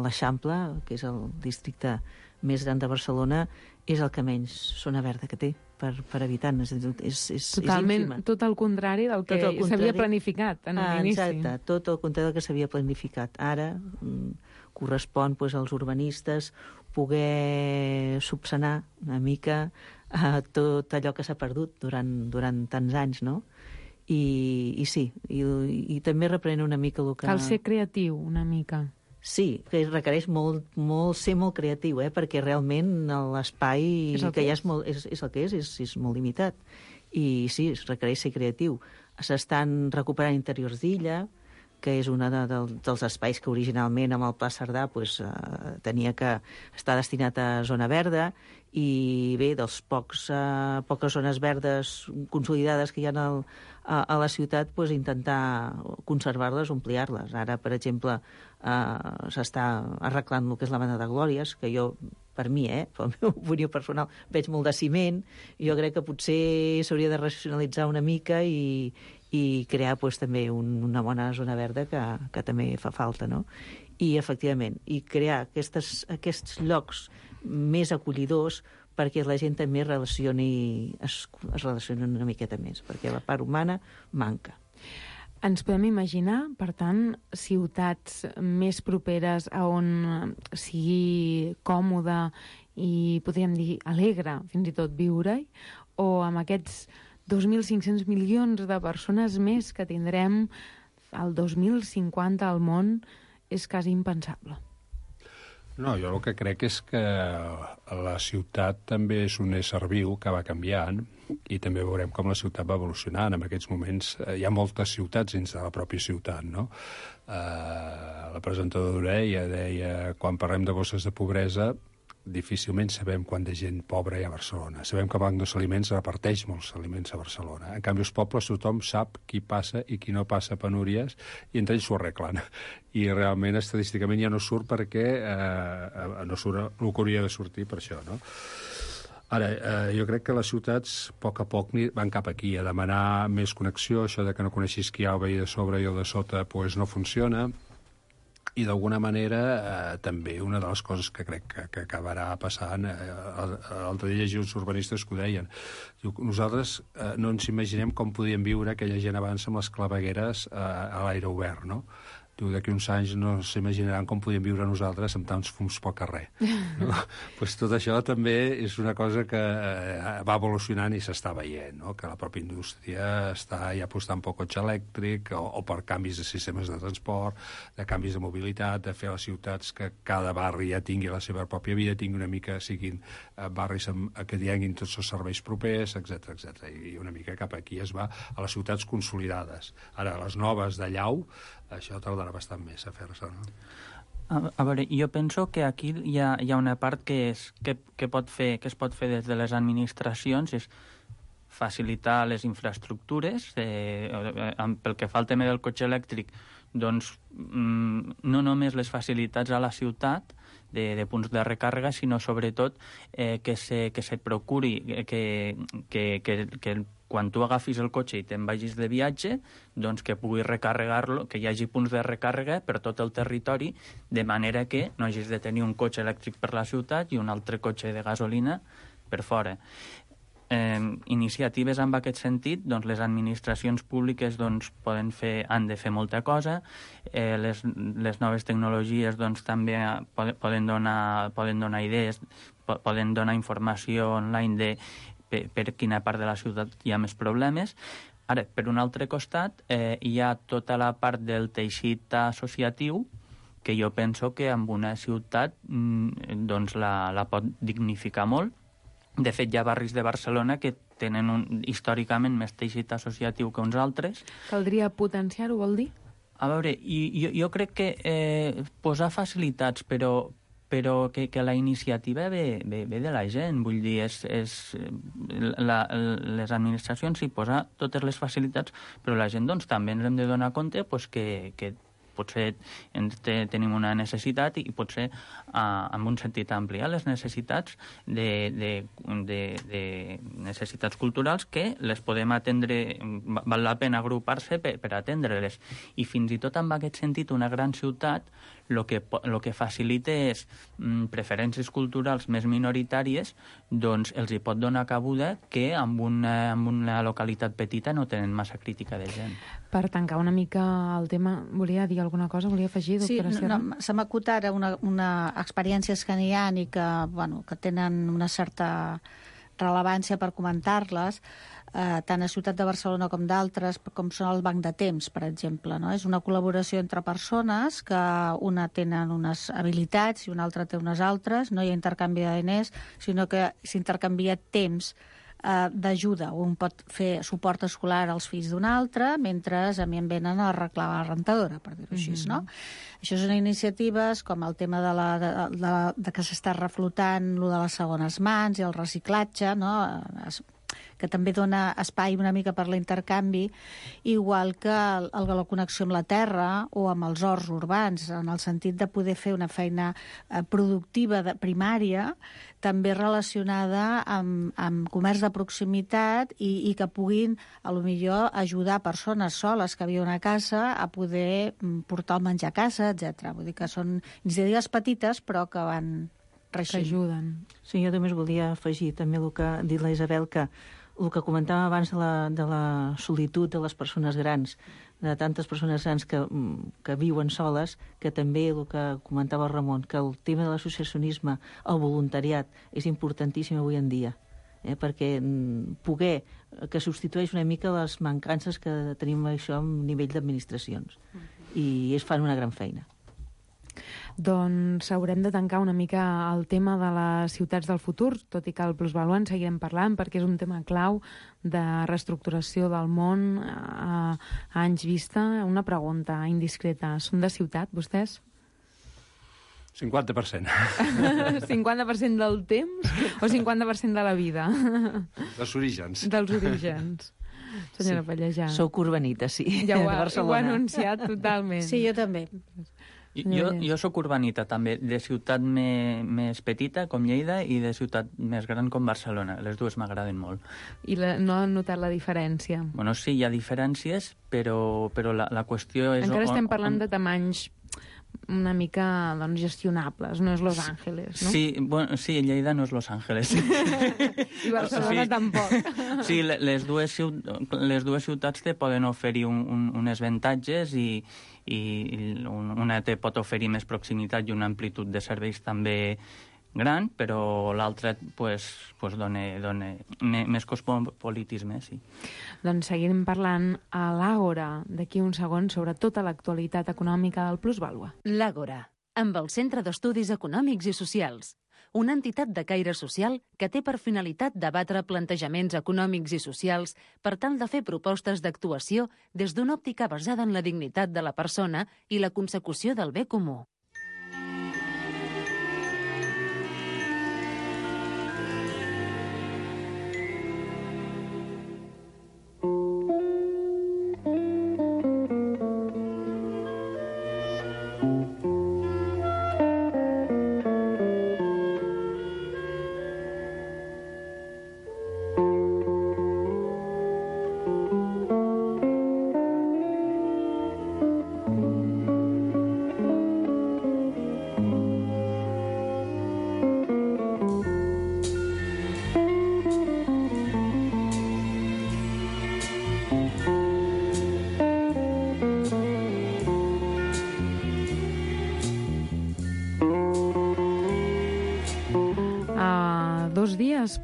l'Eixample, que és el districte més gran de Barcelona, és el que menys zona verda que té per habitant. És totalment, ínfima. tot el contrari del que s'havia planificat en un inici. Exacte, tot el contrari del que s'havia planificat. Ara correspon als urbanistes poder subsanar una mica tot allò que s'ha perdut durant tants anys, no? I sí, i també reprèn una mica el que... Cal ser creatiu, una mica. Sí, que requereix ser molt creatiu, perquè realment l'espai que hi ha és el que és molt limitat. I sí, es requereix ser creatiu. S'estan recuperant interiors d'illa, que és un dels espais que originalment amb el Pla Cerdà tenia que estar destinat a zona verda, i bé, dels poques zones verdes consolidades que hi ha a la ciutat, intentar conservar-les, ampliar-les. Ara, per exemple, s'està arreglant el que és la Banda de Glòries, que jo, per mi, per la meva opinió personal, veig molt de ciment. Jo crec que potser s'hauria de racionalitzar una mica i crear també una bona zona verda que també fa falta, no? I, efectivament, crear aquests llocs més acollidors perquè la gent també es relacioni una miqueta més, perquè la part humana manca. Ens podem imaginar, per tant, ciutats més properes a on sigui còmode i, podríem dir, alegre, fins i tot viure-hi, o amb aquests 2.500 milions de persones més que tindrem el 2050 al món és quasi impensable. No, jo el que crec és que la ciutat també és un ésser viu que va canviant i també veurem com la ciutat va evolucionant. En aquests moments hi ha moltes ciutats dins de la pròpia ciutat, no? La presentadora deia, quan parlem de bosses de pobresa, difícilment sabem quant de gent pobra hi ha a Barcelona. Sabem que el Banc dels Aliments reparteix molts aliments a Barcelona. En canvi, els pobles tothom sap qui passa i qui no passa penúries i entre ells s'ho arreglen. I realment, estadísticament, ja no surt perquè no surt el que hauria de sortir per això, no? Ara, jo crec que les ciutats, a poc van cap aquí, a demanar més connexió. Això de que no coneixis qui hi ha el veí de sobre i el de sota, pues no funciona. I d'alguna manera també una de les coses que crec que acabarà passant, l'altre dia llegia uns urbanistes que ho deien, nosaltres no ens imaginem com podien viure aquella gent abans amb les clavegueres a l'aire obert, no? D'aquí uns anys no s'imaginaran com podíem viure nosaltres amb tants fums pel carrer. No? Pues tot això també és una cosa que va evolucionant i s'està veient, no? Que la pròpia indústria està ja apostant pel cotxe elèctric o per canvis de sistemes de transport, de canvis de mobilitat, de fer les ciutats que cada barri ja tingui la seva pròpia vida, tingui una mica, siguin barris que tinguin tots els serveis propers, etc. I una mica cap aquí es va a les ciutats consolidades. Ara, les noves de llau, això tardarà bastant més a fer-se, no? A veure, jo penso que aquí hi ha una part que es pot fer des de les administracions, és facilitar les infraestructures. Pel que fa al tema del cotxe elèctric, doncs no només les facilitats a la ciutat de punts de recàrrega, sinó sobretot que se procuri que quan tu agafis el cotxe i te'n vagis de viatge, doncs que puguis recarregar-lo, que hi hagi punts de recàrrega per tot el territori, de manera que no hagis de tenir un cotxe elèctric per la ciutat i un altre cotxe de gasolina per fora. Iniciatives en aquest sentit, doncs les administracions públiques doncs, han de fer molta cosa. Les noves tecnologies doncs, també poden donar idees, poden donar informació online per quina part de la ciutat hi ha més problemes. Ara, per un altre costat, hi ha tota la part del teixit associatiu, que jo penso que en una ciutat doncs, la pot dignificar molt. De fet, hi ha barris de Barcelona que tenen històricament més teixit associatiu que uns altres. Caldria potenciar-ho, vol dir? A veure, jo crec que posar facilitats, però que la iniciativa ve de la gent. Vull dir, les administracions hi posen totes les facilitats, però la gent doncs, també ens hem de donar compte doncs, que potser tenim una necessitat i potser en un sentit ampliar les necessitats de necessitats culturals que les podem atendre, val la pena agrupar-se per atendre-les. I fins i tot en aquest sentit una gran ciutat el que facilita és preferències culturals més minoritàries, doncs els hi pot donar cabuda que en una localitat petita no tenen massa crítica de gent. Per tancar una mica el tema, volia dir alguna cosa? Volia afegir, doctora Sierra? Sí, se m'acut ara una experiències que n'hi ha i que tenen una certa rellevància per comentar-les, tant a Ciutat de Barcelona com d'altres, com són el Banc de Temps, per exemple. No? És una col·laboració entre persones que una tenen unes habilitats i una altra té unes altres. No hi ha intercanvi de diners, sinó que s'intercanvia temps d'ajuda. Un pot fer suport escolar als fills d'un altre, mentre a mi em venen a arreglar la rentadora, per dir-ho així, no? Això són iniciatives com el tema de que s'està reflotant lo de les segones mans i el reciclatge, no? Que també dona espai una mica per l'intercanvi, igual que la connexió amb la terra o amb els horts urbans, en el sentit de poder fer una feina productiva primària, també relacionada amb comerç de proximitat i que puguin, potser ajudar persones soles que viuen a casa a poder portar el menjar a casa, etc. Vull dir que són iniciatives petites, però que van reixint. Que ajuden. Sí, jo només volia afegir també el que ha dit la Isabel, que el que comentàvem abans de la solitud de les persones grans, de tantes persones grans que viuen soles, que també el que comentava el Ramon, que el tema de l'associacionisme, el voluntariat, és importantíssim avui en dia, perquè poder que substitueix una mica les mancances que tenim això a nivell d'administracions. I fan una gran feina. Doncs haurem de tancar una mica el tema de les ciutats del futur, tot i que el plusvaluant seguirem parlant perquè és un tema clau de reestructuració del món a anys vista. Una pregunta indiscreta. Són de ciutat, vostès? 50%. 50% del temps o 50% de la vida? Dels orígens. Dels orígens. Senyora Pallejà. Soc urbanita, sí. Ja ho ha anunciat totalment. Sí, jo també. Jo sóc urbanita, també, de ciutat més petita, com Lleida, i de ciutat més gran, com Barcelona. Les dues m'agraden molt. I no han notat la diferència? Bueno, sí, hi ha diferències, però la qüestió és... Encara estem parlant de tamanys una mica gestionables, no és Los Angeles, no? Sí, bueno, sí, Lleida no és Los Angeles. I Barcelona tampoc. Sí, les dues ciutats te poden oferir uns avantatges i una te pot oferir més proximitat i una amplitud de serveis també gran, però l'altra dona més cosmopolitisme, sí. Doncs seguirem parlant a l'Àgora d'aquí un segon sobre tota l'actualitat econòmica del Plusvàlua. L'Àgora, amb el Centre d'Estudis Econòmics i Socials, una entitat de caire social que té per finalitat debatre plantejaments econòmics i socials per tal de fer propostes d'actuació des d'una òptica basada en la dignitat de la persona i la consecució del bé comú.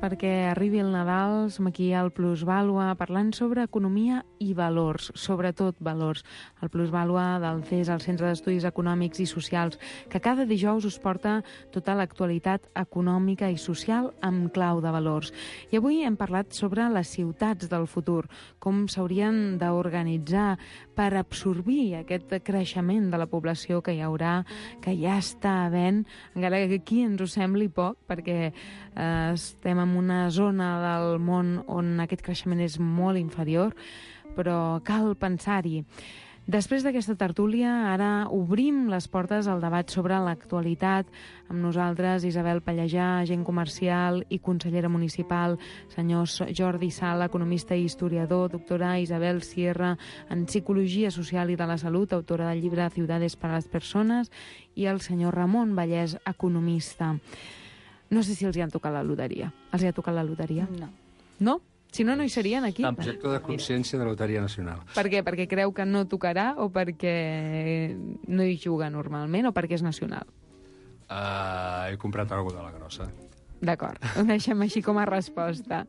Perquè arribi el Nadal, som aquí al Plusvàlua parlant sobre economia i valors, sobretot valors. El Plusvàlua del CES, el Centre d'Estudis Econòmics i Socials, que cada dijous us porta tota l'actualitat econòmica i social amb clau de valors. I avui hem parlat sobre les ciutats del futur, com s'haurien d'organitzar per absorbir aquest creixement de la població que hi haurà, que ja està havent, encara que aquí ens ho sembli poc, perquè estem en una zona del món on aquest creixement és molt inferior, però cal pensar-hi. Després d'aquesta tertúlia, ara obrim les portes al debat sobre l'actualitat. Amb nosaltres, Isabel Pallejà, agent comercial i consellera municipal, senyor Jordi Sala, economista i historiador, doctora Isabel Sierra, en psicologia social i de la salut, autora del llibre Ciudades para las personas, i el senyor Ramon Vallès, economista. No sé si els hi han tocat la loteria. Els hi ha tocat la loteria? No. No? Si no, no hi serien aquí. Objecte de consciència de la Loteria Nacional. Per què? Perquè creu que no tocarà o perquè no hi juga normalment o perquè és nacional? He comprat alguna de la grossa. D'acord, ho deixem així com a resposta.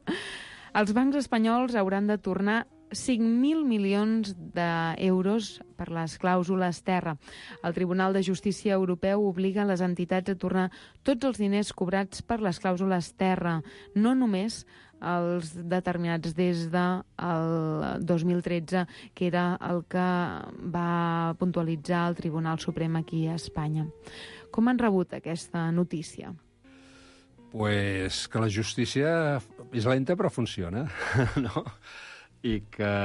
Els bancs espanyols hauran de tornar 5.000 milions d'euros per les clàusules terra. El Tribunal de Justícia Europeu obliga les entitats a tornar tots els diners cobrats per les clàusules terra, no només els determinats des del 2013, que era el que va puntualitzar el Tribunal Suprem aquí a Espanya. Com han rebut aquesta notícia? Pues que la justícia és lenta però funciona, no? I que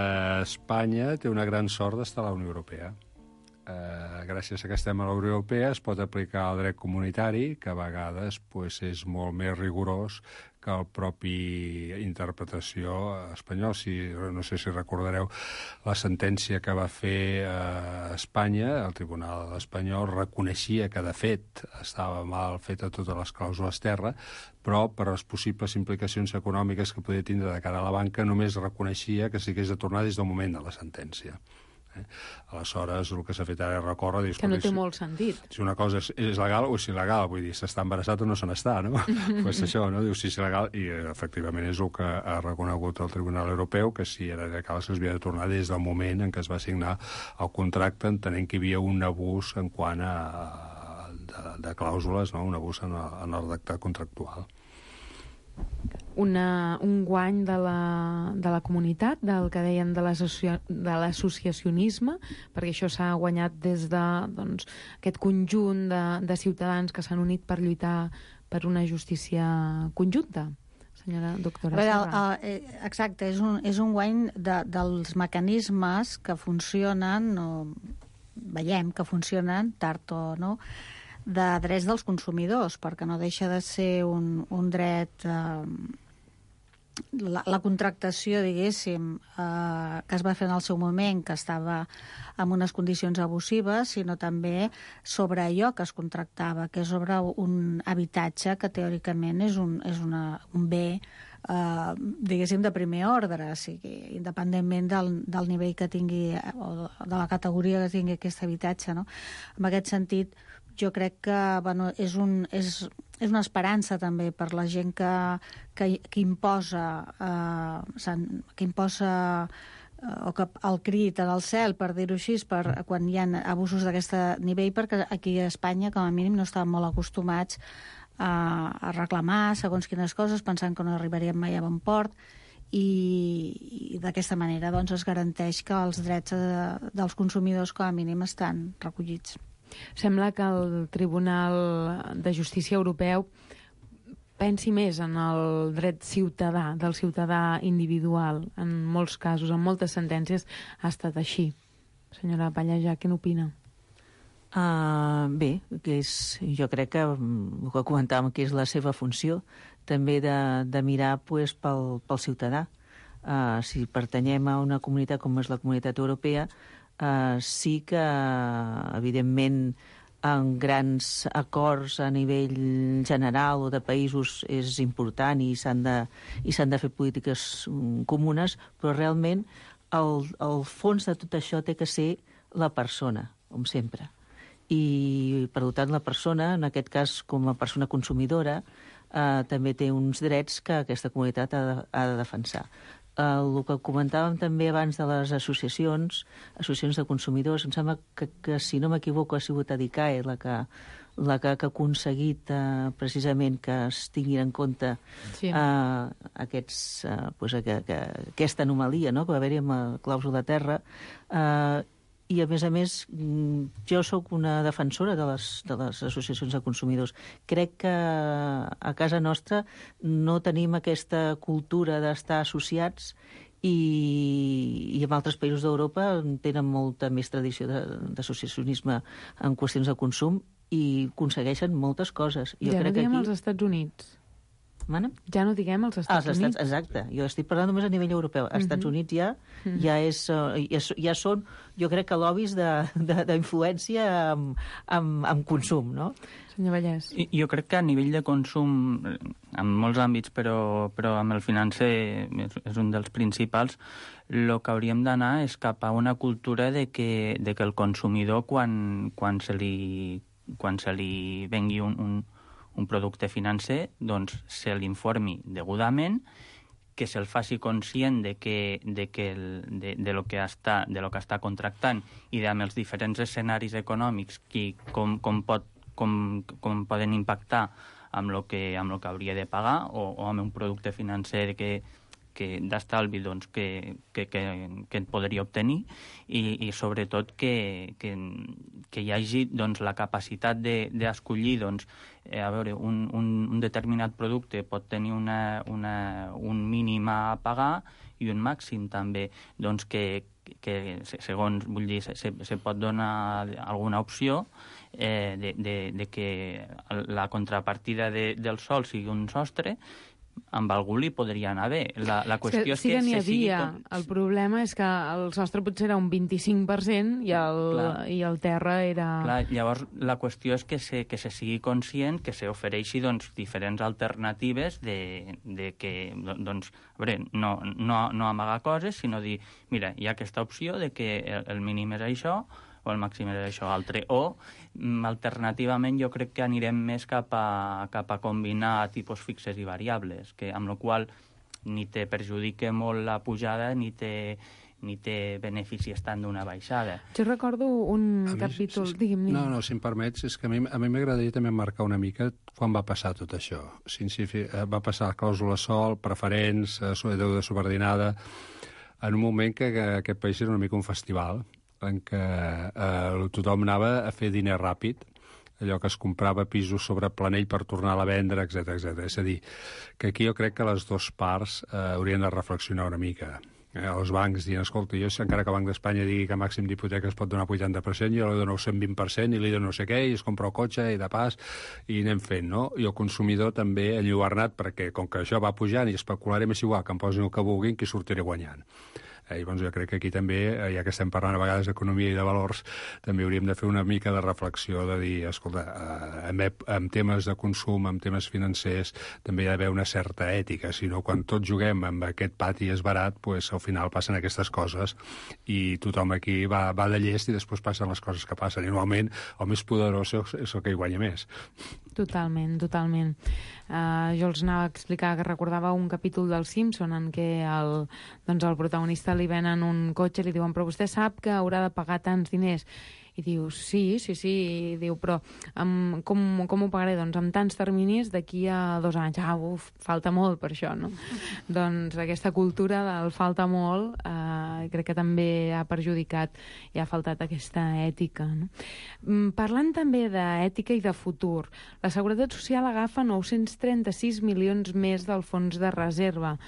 Espanya té una gran sort d'estar a la Unió Europea. Gràcies a que estem a la Unió Europea es pot aplicar el dret comunitari, que a vegades és molt més rigorós que el propi interpretació espanyol. No sé si recordareu la sentència que va fer Espanya, el Tribunal espanyol reconeixia que de fet estava mal feta totes les clàusules terra, però per les possibles implicacions econòmiques que podia tindre de cara a la banca només reconeixia que s'hagués de tornar des del moment de la sentència. Aleshores, el que s'ha fet ara és recórrer... Que no té molt sentit. Si una cosa és legal o és il·legal, vull dir, s'està embarassat o no se n'està, no? Pues això, no? Diu si és il·legal, i efectivament és el que ha reconegut el Tribunal Europeu, que si era legal s'havia de tornar des del moment en què es va signar el contracte, entenent que hi havia un abús en quant a de clàusules, no? Un abús en el redactat contractual. un guany de la comunitat, del que deien de l'associacionisme, perquè això s'ha guanyat des de aquest conjunt de ciutadans que s'han unit per lluitar per una justícia conjunta. Senyora doctora Serra. Exacte, és un guany dels mecanismes que funcionen, veiem que funcionen, tard o no, de drets dels consumidors, perquè no deixa de ser un dret... La contractació, diguéssim, que es va fer en el seu moment, que estava en unes condicions abusives, sinó també sobre allò que es contractava, que és sobre un habitatge que teòricament és un bé, diguéssim, de primer ordre, o sigui, independentment del nivell que tingui o de la categoria que tingui aquest habitatge, no? En aquest sentit, jo crec que és una esperança també per la gent que imposa o que el crit en el cel, per dir-ho així, quan hi ha abusos d'aquest nivell, perquè aquí a Espanya, com a mínim, no estàvem molt acostumats a reclamar segons quines coses, pensant que no arribaríem mai a bon port, i d'aquesta manera es garanteix que els drets dels consumidors, com a mínim, estan recollits. Sembla que el Tribunal de Justícia Europeu pensi més en el dret ciutadà, del ciutadà individual. En molts casos, en moltes sentències, ha estat així. Senyora Pallejà, què n'opina? Bé, jo crec que el que comentàvem que és la seva funció, també de mirar pel ciutadà. Si pertanyem a una comunitat com és la Comunitat Europea, sí que, evidentment, en grans acords a nivell general o de països és important i s'han de fer polítiques comunes, però realment el fons de tot això té que ser la persona, com sempre. I, per tant, la persona, en aquest cas com a persona consumidora, també té uns drets que aquesta comunitat ha de defensar. El que comentàvem també abans de les associacions de consumidors, em sembla que si no m'equivoco ha sigut ADICAE la que ha aconseguit precisament que es tinguin en compte aquesta anomalia, no?, que va haver-hi amb la clàusula de terra. I, a més, jo sóc una defensora de les associacions de consumidors. Crec que a casa nostra no tenim aquesta cultura d'estar associats i en altres països d'Europa tenen molta més tradició d'associacionisme en qüestions de consum i aconsegueixen moltes coses. Ja no diguem als Estats Units. Ja no diguem als Estats Units. Exacte. Jo estic parlant només a nivell europeu. Als Estats Units ja són, jo crec que lobbies d'influència amb consum, no? Senyor Vallès. Jo crec que a nivell de consum, en molts àmbits, però amb el financer és un dels principals, el que hauríem d'anar és cap a una cultura de que el consumidor, quan se li vengui un producte financer, doncs se l'informi degudament, que se'l faci conscient de lo que està contractant i amb els diferents escenaris econòmics com poden impactar amb lo que hauria de pagar o amb un producte financer d'estalvi que podria obtenir i sobretot que hi hagi la capacitat d'escollir a veure, un determinat producte pot tenir un mínim a pagar i un màxim també, que segons, vull dir, se pot donar alguna opció de que la contrapartida del sòl sigui un sostre. Amb algú li podria anar bé. La qüestió és que n'hi havia. El problema és que el sostre potser era un 25% i el terra era... Clar, llavors la qüestió és que se sigui conscient, que s'ofereixi diferents alternatives de que, a veure, no amagar coses, sinó dir, mira, hi ha aquesta opció de que el mínim és això, o el màxim és això altre, o alternativament jo crec que anirem més cap a combinar tipus fixes i variables, amb la qual ni te perjudica molt la pujada ni te ni té benefici estant d'una baixada. Jo recordo un capítol... Digui'm. No, si em permets, és que a mi m'agradaria també marcar una mica quan va passar tot això. Va passar clàusula sol, preferents, deuda subordinada, en un moment que aquest país era una mica un festival, en què tothom anava a fer diner ràpid, allò que es comprava pisos sobre planell per tornar-la a vendre, etc. És a dir, que aquí jo crec que les dues parts haurien de reflexionar una mica. Els bancs diuen, escolta, jo encara que el Banc d'Espanya digui que màxim d'hipoteca es pot donar 80%, jo li dono 120% i li dono no sé què, i es compra el cotxe i de pas, i anem fent, no? I el consumidor també enlluernat, perquè com que això va pujant i especularem és igual, que em posin el que vulguin, que sortiré guanyant. Llavors jo crec que aquí també, ja que estem parlant a vegades d'economia i de valors, també hauríem de fer una mica de reflexió, de dir, escolta, en temes de consum, en temes financers, també hi ha d'haver una certa ètica, si no, quan tots juguem amb aquest pati és barat, pues, al final passen aquestes coses i tothom aquí va de llest i després passen les coses que passen. I normalment el més poderós és el que hi guanya més. Totalment. Jo els anava a explicar que recordava un capítol del Simpson en què el protagonista li venen un cotxe i li diuen, però vostè sap que haurà de pagar tants diners. I diu, sí, i diu, però com ho pagaré? Doncs amb tants terminis d'aquí a 2 anys. Falta molt per això, no? Doncs aquesta cultura del falta molt crec que també ha perjudicat i ha faltat aquesta ètica, no? Parlant també d'ètica i de futur, la Seguretat Social agafa 936 milions més del fons de reserva.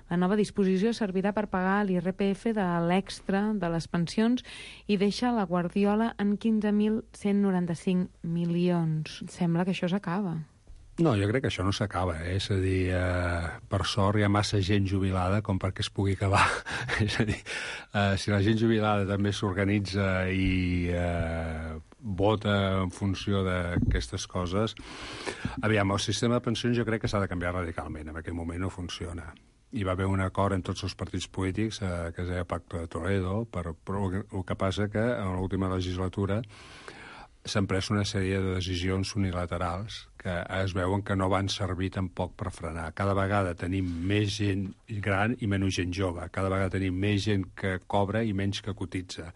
La nova disposició servirà per pagar l'IRPF de l'extra de les pensions i deixa la Guardiola en 15.195 milions. Sembla que això s'acaba. No, jo crec que això no s'acaba, És a dir, per sort hi ha massa gent jubilada com perquè es pugui acabar. És a dir, si la gent jubilada també s'organitza i vota en funció d'aquestes coses... Aviam, el sistema de pensions jo crec que s'ha de canviar radicalment. En aquest moment no funciona. Hi va haver un acord en tots els partits polítics que es deia Pacte de Toledo, però el que passa que en l'última legislatura s'han pres una sèrie de decisions unilaterals que es veuen que no van servir tampoc per frenar. Cada vegada tenim més gent gran i menys gent jove. Cada vegada tenim més gent que cobra i menys que cotitza.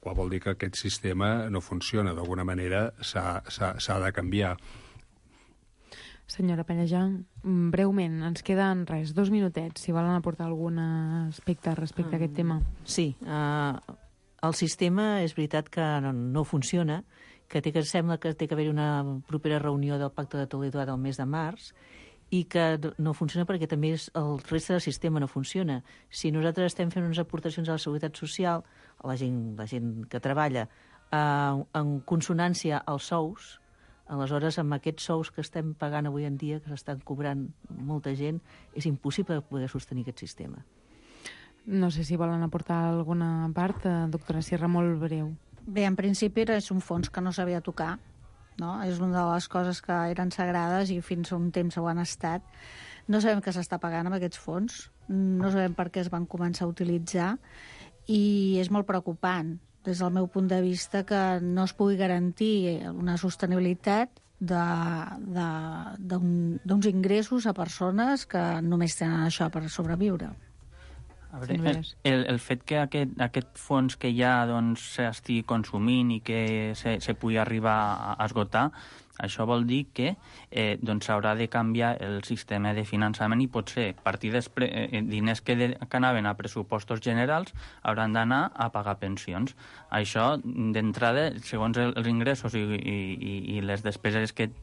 Qual vol dir que aquest sistema no funciona. D'alguna manera s'ha de canviar. Senyora Pellejan, breument, ens queden 2 minutets, si volen aportar algun aspecte respecte a aquest tema. Sí, el sistema és veritat que no funciona, que sembla que té que haver una propera reunió del Pacte de Toledo del mes de març, i que no funciona perquè també el reste del sistema no funciona. Si nosaltres estem fent unes aportacions a la Seguretat Social, a la gent que treballa, en consonància als sous, aleshores, amb aquests sous que estem pagant avui en dia, que s'estan cobrant molta gent, és impossible poder sostenir aquest sistema. No sé si volen aportar alguna part, doctora Sierra, molt breu. Bé, en principi és un fons que no s'havia de tocar, no? És una de les coses que eren sagrades i fins a un temps ho han estat. No sabem què s'està pagant amb aquests fons, no sabem per què es van començar a utilitzar i és molt preocupant, des del meu punt de vista, que no es pugui garantir una sostenibilitat d'uns ingressos a persones que només tenen això per sobreviure. A veure, el fet que aquest fons que ja s'estigui consumint i que se pugui arribar a esgotar, això vol dir que s'haurà de canviar el sistema de finançament i potser diners que anaven a pressupostos generals hauran d'anar a pagar pensions. Això, d'entrada, segons els ingressos i les despeses que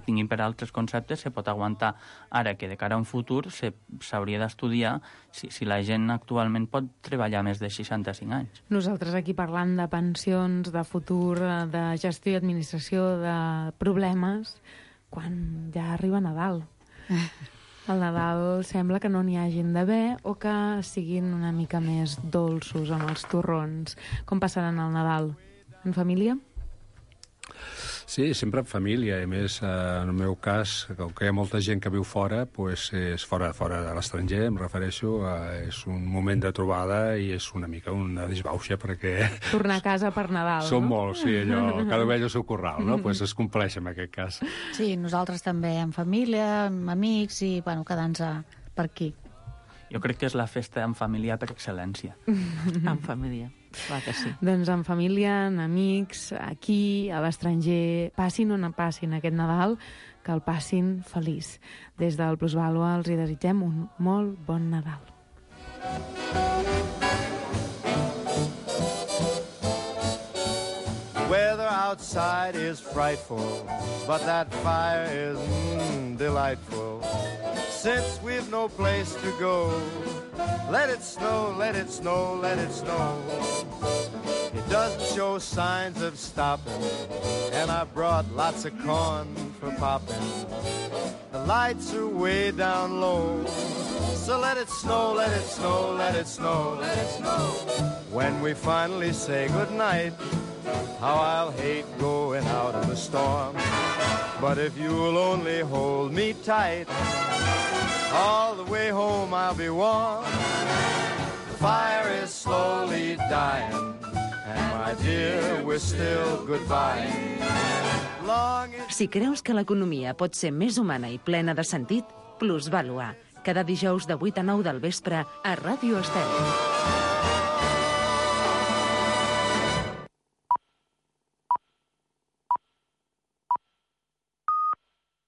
tinguin per altres conceptes, se pot aguantar. Ara que de cara a un futur s'hauria d'estudiar si la gent actualment pot treballar més de 65 anys. Nosaltres aquí parlant de pensions, de futur, de gestió i administració, de problemes, quan ja arriba Nadal. Al Nadal sembla que no n'hi hagin d'haver o que siguin una mica més dolços amb els torrons. Com passaran el Nadal? En família? Sí, sempre en família, i més en el meu cas, com que hi ha molta gent que viu fora, doncs és fora de l'estranger, em refereixo, és un moment de trobada i és una mica una disbauxa perquè... Tornar a casa per Nadal, Som no? molts, sí, allò, cada ovella al seu corral, no? Doncs es compleix en aquest cas. Sí, nosaltres també en família, amb amics i, quedant-nos per aquí. Jo crec que és la festa en família per excel·lència. En família, clar que sí. Doncs en família, en amics, aquí, a l'estranger, passin on passin aquest Nadal, que el passin feliç. Des del Plusvàlua els hi desitgem un molt bon Nadal. The weather outside is frightful, but that fire is delightful. Since we've no place to go, let it snow, let it snow, let it snow. It doesn't show signs of stopping, and I brought lots of corn for popping. The lights are way down low, so let it snow, let it snow, let it snow, let it snow. When we finally say goodnight, how I'll hate going out in the storm. But if you'll only hold me tight, all the way home I'll be warm. The fire is slowly dying, and my dear, we're still goodbye. Si creus que l'economia pot ser més humana i plena de sentit, Plusvàlua. Cada dijous de 8 a 9 del vespre a Ràdio Estel.